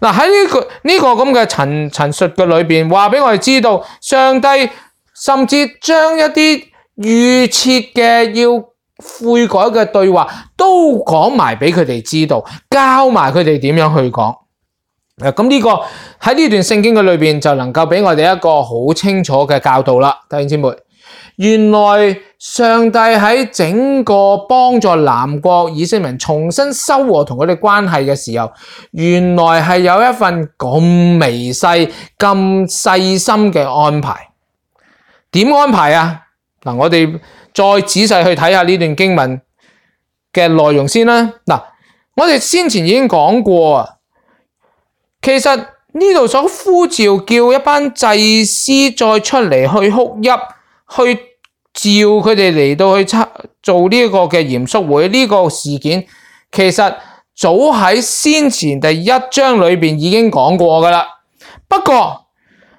嗱，喺呢個咁嘅陳述嘅裏邊，話俾我哋知道，上帝甚至將一啲預設嘅要悔改嘅對話都講埋俾佢哋知道，教埋佢哋點樣去講。咁呢個喺呢段聖經嘅裏邊就能夠俾我哋一個好清楚嘅教導啦，弟兄姊妹。原來上帝喺整個幫助南國以色列人重新修和同佢哋關係嘅時候，原來係有一份咁微細、咁細心嘅安排。點安排啊？嗱，我哋再仔細去睇下呢段經文嘅內容先啦。嗱，我哋先前已經講過啊。其實呢度所呼召叫一班祭司再出嚟去哭泣，去召佢哋嚟到去做呢個嘅嚴肅會，呢個事件其實早喺先前第1章裏邊已經講過噶啦。不過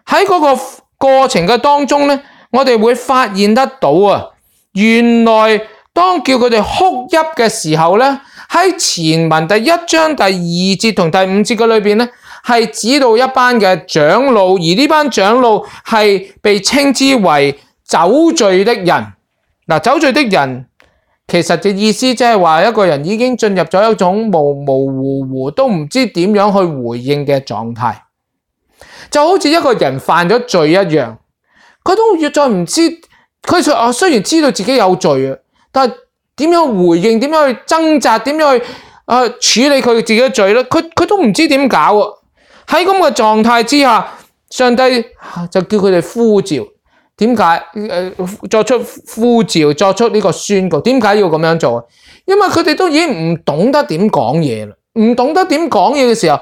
喺嗰個過程嘅當中咧，我哋會發現得到啊，原來當叫佢哋哭泣嘅時候咧，喺前文第1章第2節同第5節嘅裏邊咧，係指到一班嘅長老，而呢班長老係被稱之為酒醉的人。嗱，酒醉的人其實嘅意思即係話一個人已經進入咗一種模模糊糊都唔知點樣去回應嘅狀態，就好似一個人犯咗罪一樣，佢都越再唔知，佢雖然知道自己有罪啊，但係點樣回應，點樣去掙扎，點樣去處理佢自己嘅罪咧，佢都唔知點搞啊。喺咁嘅狀態之下，上帝就叫佢哋呼召。點解？作出呼召，作出呢個宣告。點解要咁樣做？因為佢哋都已經唔懂得點講嘢啦，唔懂得點講嘢嘅時候，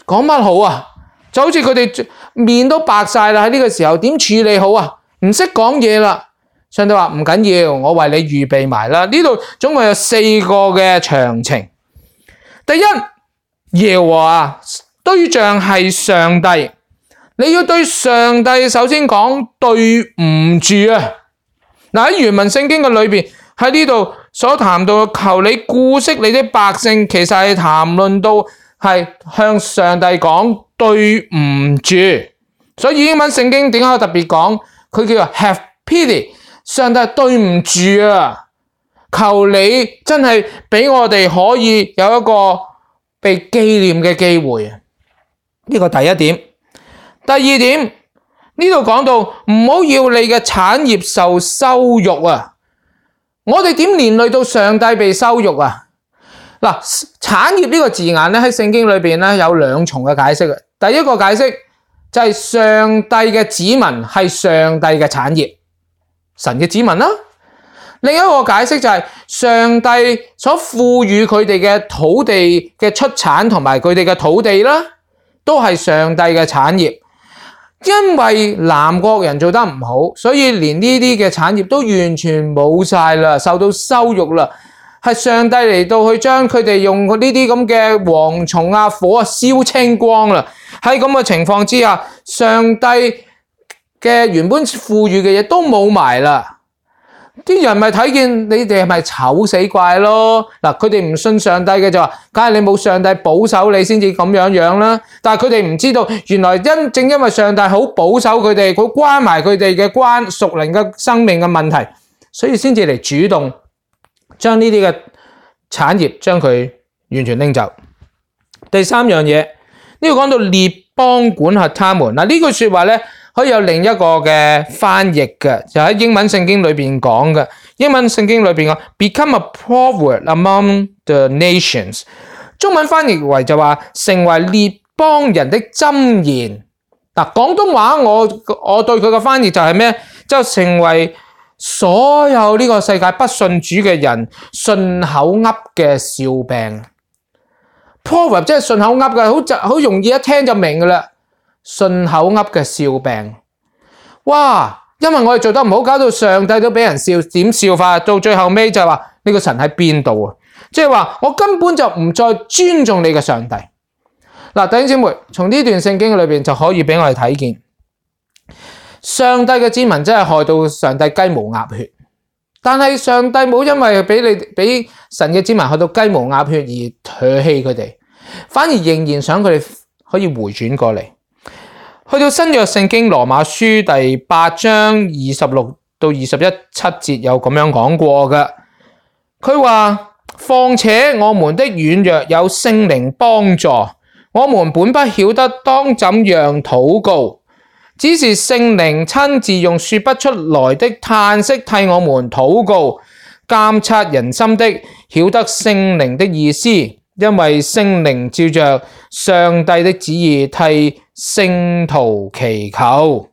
講乜好啊？就好似佢哋面都白晒啦，喺呢個時候點處理好啊？唔識講嘢啦。上帝話唔緊要，我為你預備埋啦。呢度總共有4個嘅詳情。第一，耶和華對象係上帝，你要對上帝首先講對唔住啊！嗱，喺原文聖經嘅裏邊，喺呢度所談到求你顧惜你的百姓，其實係談論到係向上帝講對唔住。所以英文聖經點解我特別講佢叫做 have pity？ 上帝對唔住啊！求你真係俾我哋可以有一個被紀念嘅機會啊！呢個第一點。第二點，呢度講到唔好要你嘅產業受羞辱啊！我哋點連累到上帝被羞辱啊？嗱，產業呢個字眼咧喺聖經裏邊咧有2重嘅解釋啊。第一個解釋就係上帝嘅子民係上帝嘅產業，神嘅子民啦。另一個解釋就係上帝所賦予佢哋嘅土地嘅出產同埋佢哋嘅土地啦，都係上帝嘅產業。因為南國人做得唔好，所以連呢啲嘅產業都完全冇晒啦，受到羞辱啦。係上帝嚟到去將佢哋用呢啲咁嘅蝗蟲啊、火啊燒清光啦。喺咁嘅情況之下，上帝嘅原本賦予嘅嘢都冇埋啦。啲人咪睇見你哋係咪醜死怪咯？嗱，佢哋唔信上帝嘅就話，梗係你冇上帝保守你先至咁樣啦。但係佢哋唔知道，原來正因為上帝好保守佢哋，佢關埋佢哋嘅屬靈嘅生命嘅問題，所以先至嚟主動將呢啲嘅產業將佢完全拎走。第三樣嘢，呢度講到列邦管轄他們。嗱，呢句說話咧，可以有另一個嘅翻譯嘅，就喺英文聖經裏邊講嘅。英文聖經裏邊講 become a proverb among the nations， 中文翻譯為就話成為列邦人的箴言。嗱，廣東話我對佢嘅翻譯就係咩？就成為所有呢個世界不信主嘅人順口噏嘅笑柄。proverb 即係順口噏嘅，好容易一聽就明噶啦。順口噏嘅笑柄，哇！因為我哋做得唔好，搞到上帝都俾人笑，點笑法？到最後尾就係話呢個神喺邊度啊？即係話我根本就唔再尊重你嘅上帝。嗱，弟兄姊妹，從呢段聖經裏邊就可以俾我哋睇見，上帝嘅子民真係害到上帝雞毛鴨血，但係上帝冇因為俾神嘅子民害到雞毛鴨血而唾棄佢哋，反而仍然想佢哋可以回轉過嚟。去到新約聖經羅馬書第8章26到21、7節有咁樣講過嘅，佢話：況且我們的軟弱有聖靈幫助，我們本不曉得當怎樣禱告，只是聖靈親自用說不出來的嘆息替我們禱告，監察人心的，曉得聖靈的意思。因為聖靈照着上帝的旨意替聖徒祈求。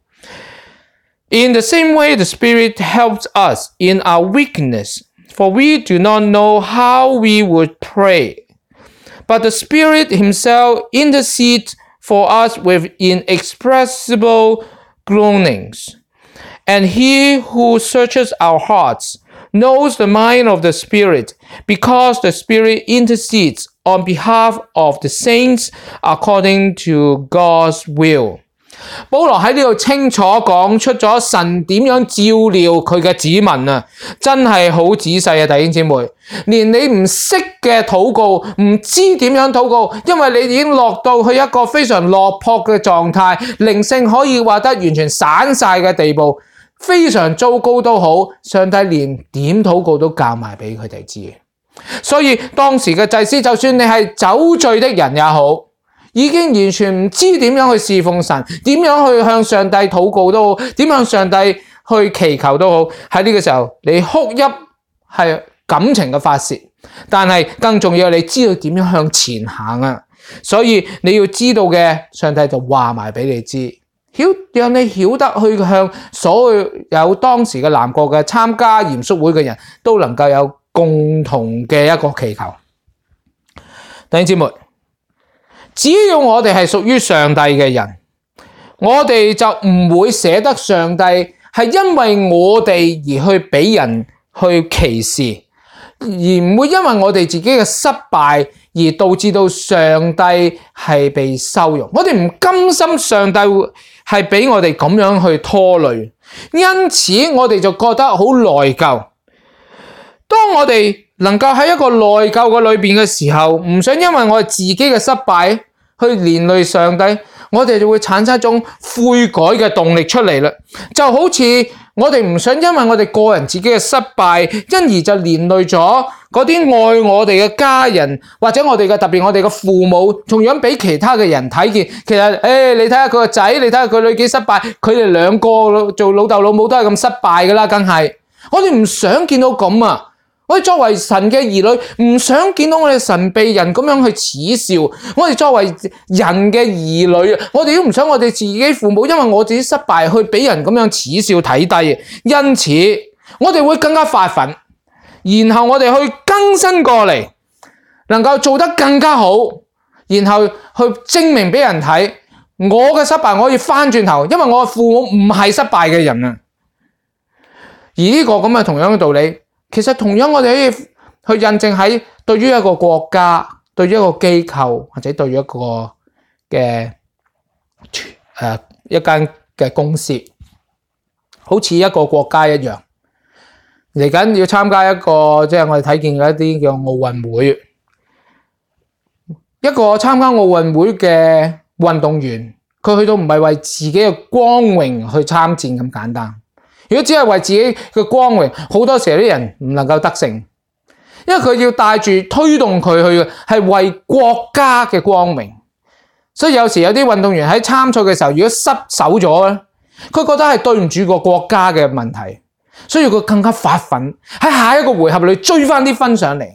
In the same way, the Spirit helps us in our weakness, for we do not know how we would pray. But the Spirit himself intercedes for us with inexpressible groanings. And he who searches our hearts knows the mind of the Spirit, because the Spirit intercedes on behalf of the saints according to God's will。 保羅喺呢度清楚講出咗神點樣照料佢嘅子民啊，真係好仔細啊，弟兄姊妹，連你唔識嘅禱告，唔知點樣禱告，因為你已經落到去一個非常落魄嘅狀態，靈性可以話得完全散晒嘅地步，非常糟糕都好，上帝連點禱告都教埋俾佢哋知。所以當時嘅祭司，就算你係酒醉的人也好，已經完全唔知點樣去侍奉神，點樣去向上帝禱告都好，點向上帝去祈求都好，喺呢個時候你哭泣係感情嘅發洩，但係更重要，你知道點樣向前行啊！所以你要知道嘅，上帝就話埋俾你知，讓你曉得去向所有當時嘅南國嘅參加嚴肅會嘅人都能夠有共同嘅一個祈求。弟兄姊妹，只要我哋係屬於上帝嘅人，我哋就唔會捨得上帝係因為我哋而去俾人去歧視，而唔會因為我哋自己嘅失敗而導致到上帝係被羞辱。我哋唔甘心上帝係俾我哋咁樣去拖累，因此我哋就覺得好內疚。當我哋能夠喺一個內疚嘅裏邊嘅時候，唔想因為我哋自己嘅失敗去連累上帝，我哋就會產生一種悔改嘅動力出嚟啦。就好似我哋唔想因為我哋個人自己嘅失敗，因而就連累咗嗰啲愛我哋嘅家人，或者我哋嘅特別我哋嘅父母，同樣俾其他嘅人睇見。其實你睇下佢個仔，你睇下佢女幾失敗，佢哋兩個做老豆老母都係咁失敗噶啦，梗係。我哋唔想見到咁啊！我哋作為神嘅兒女，唔想見到我哋神被人咁樣去恥笑。我哋作為人嘅兒女，我哋都唔想我哋自己父母因為我自己失敗去俾人咁樣恥笑睇低。因此，我哋會更加發奮，然後我哋去更新過嚟，能夠做得更加好，然後去證明俾人睇，我嘅失敗我可以翻轉頭，因為我嘅父母唔係失敗嘅人啊。而呢個咁嘅同樣嘅道理，其實同樣我哋可以去印證喺對於一個國家、對於一個機構或者對於一個嘅一間嘅公司，好似一個國家一樣，嚟緊要參加一個即係我哋睇見嘅一啲叫奧運會，一個參加奧運會嘅運動員，佢去到唔係為自己嘅光榮去參戰咁簡單。如果只係為自己嘅光榮，好多時候啲人唔能夠得勝，因為佢要帶住推動佢去係為國家嘅光榮。所以有時有啲運動員喺參賽嘅時候，如果失手咗咧，佢覺得係對唔住個國家嘅問題，所以佢更加發奮喺下一個回合裏追翻啲分上嚟。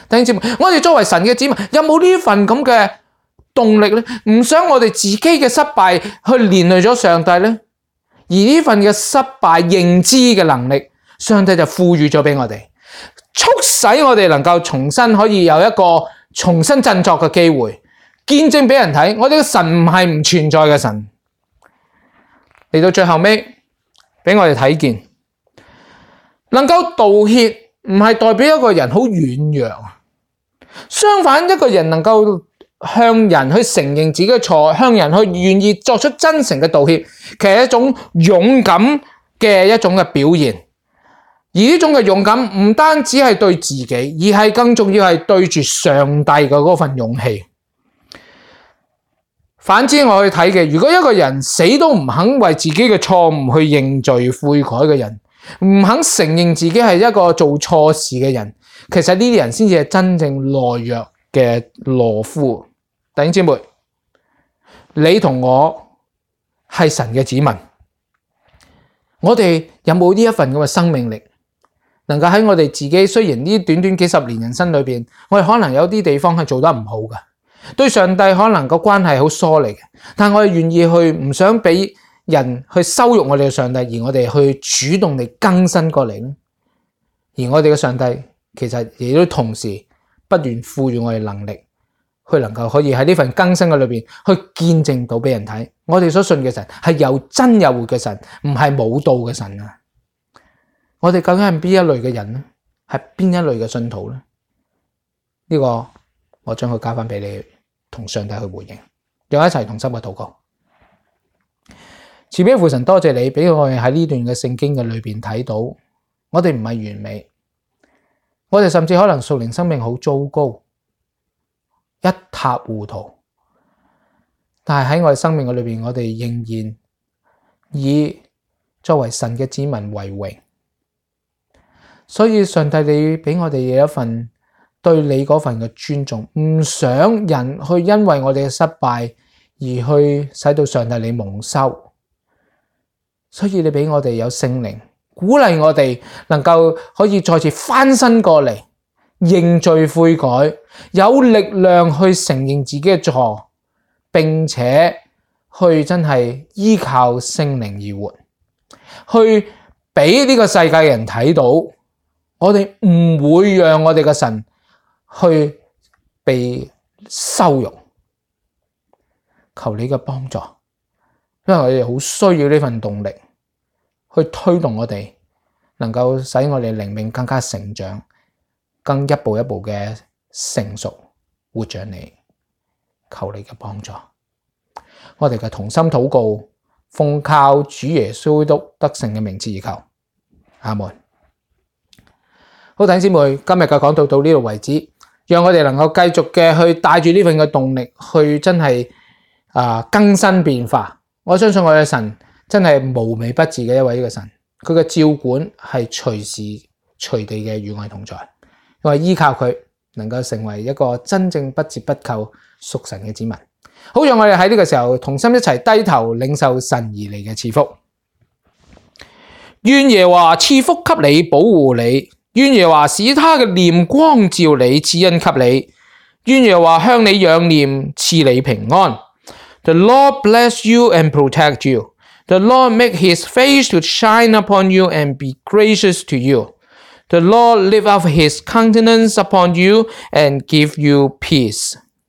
弟兄姊妹，我哋作為神嘅子民，有冇呢份咁嘅動力咧？唔想我哋自己嘅失敗去連累咗上帝咧？而呢份嘅失敗認知嘅能力，上帝就賦予咗俾我哋，促使我哋能夠重新可以有一個重新振作嘅機會，見證俾人睇，我哋嘅神唔係唔存在嘅神。嚟到最後尾，俾我哋睇見，能夠道歉唔係代表一個人好軟弱，相反，一個人能夠向人去承認自己嘅錯，向人去願意作出真誠嘅道歉，其實係一種勇敢嘅一種嘅表現。而呢種嘅勇敢唔單止係對自己，而係更重要係對住上帝嘅嗰份勇氣。反之，我去睇嘅，如果一個人死都唔肯為自己嘅錯誤去認罪悔改嘅人，唔肯承認自己係一個做錯事嘅人，其實呢啲人先至係真正懦弱嘅懦夫。弟兄姊妹，你同我係神嘅子民，我哋有冇呢一份咁嘅生命力，能夠喺我哋自己，雖然呢短短幾十年人生裏邊，我哋可能有啲地方係做得唔好嘅，對上帝可能個關係好疏離嘅，但我哋願意去唔想俾人去羞辱我哋嘅上帝，而我哋去主動地更新過嚟咧。而我哋嘅上帝其實亦都同時不斷賦予我哋能力，去能夠可以喺呢份更新嘅裏邊去見證到俾人睇，我哋所信嘅神係有真有活嘅神，唔係冇道嘅神啊！我哋究竟係邊一類嘅人咧？係邊一類嘅信徒咧？呢個我將佢交翻俾你，同上帝去回應，讓我一齊同心嘅禱告。慈悲父神，多謝你俾我哋喺呢段嘅聖經嘅裏邊睇到，我哋唔係完美，我哋甚至可能屬靈生命好糟糕，一塌糊塗，但係喺我哋生命嘅裏邊，我哋仍然以作為神嘅子民為榮。所以上帝，你俾我哋有一份對你嗰份嘅尊重，唔想人去因為我哋嘅失敗而去使到上帝你蒙羞。所以你俾我哋有聖靈鼓勵我哋，能夠可以再次翻身過嚟，認罪悔改，有力量去承認自己嘅錯，並且去真係依靠聖靈而活，去俾呢個世界嘅人睇到，我哋唔會讓我哋嘅神去被羞辱。求你嘅幫助，因為我哋好需要呢份動力去推動我哋，能夠使我哋靈命更加成長，更一步一步嘅成熟，活像你。求你嘅幫助，我哋嘅同心禱告，奉靠主耶穌基督得勝嘅名字而求，阿門。好，弟兄姊妹，今日嘅講道到呢度為止，讓我哋能夠繼續嘅去帶住呢份嘅動力，去真係更新變化。我相信我哋嘅神真係無微不至嘅一位嘅神，佢嘅照管係隨時隨地嘅與我哋同在，我係依靠佢，能夠成為一個真正不折不扣屬神嘅子民。好，讓我哋喺呢個時候同心一齊低頭領受神而嚟嘅賜福。願耶和華賜福給你，保護你。願耶和華使他嘅臉光照你，賜恩給你。願耶和華向你仰臉，賜你平安。The Lord bless you and protect you. The Lord make his face to shine upon you and be gracious to you. The Lord lift up his countenance upon you and give you peace.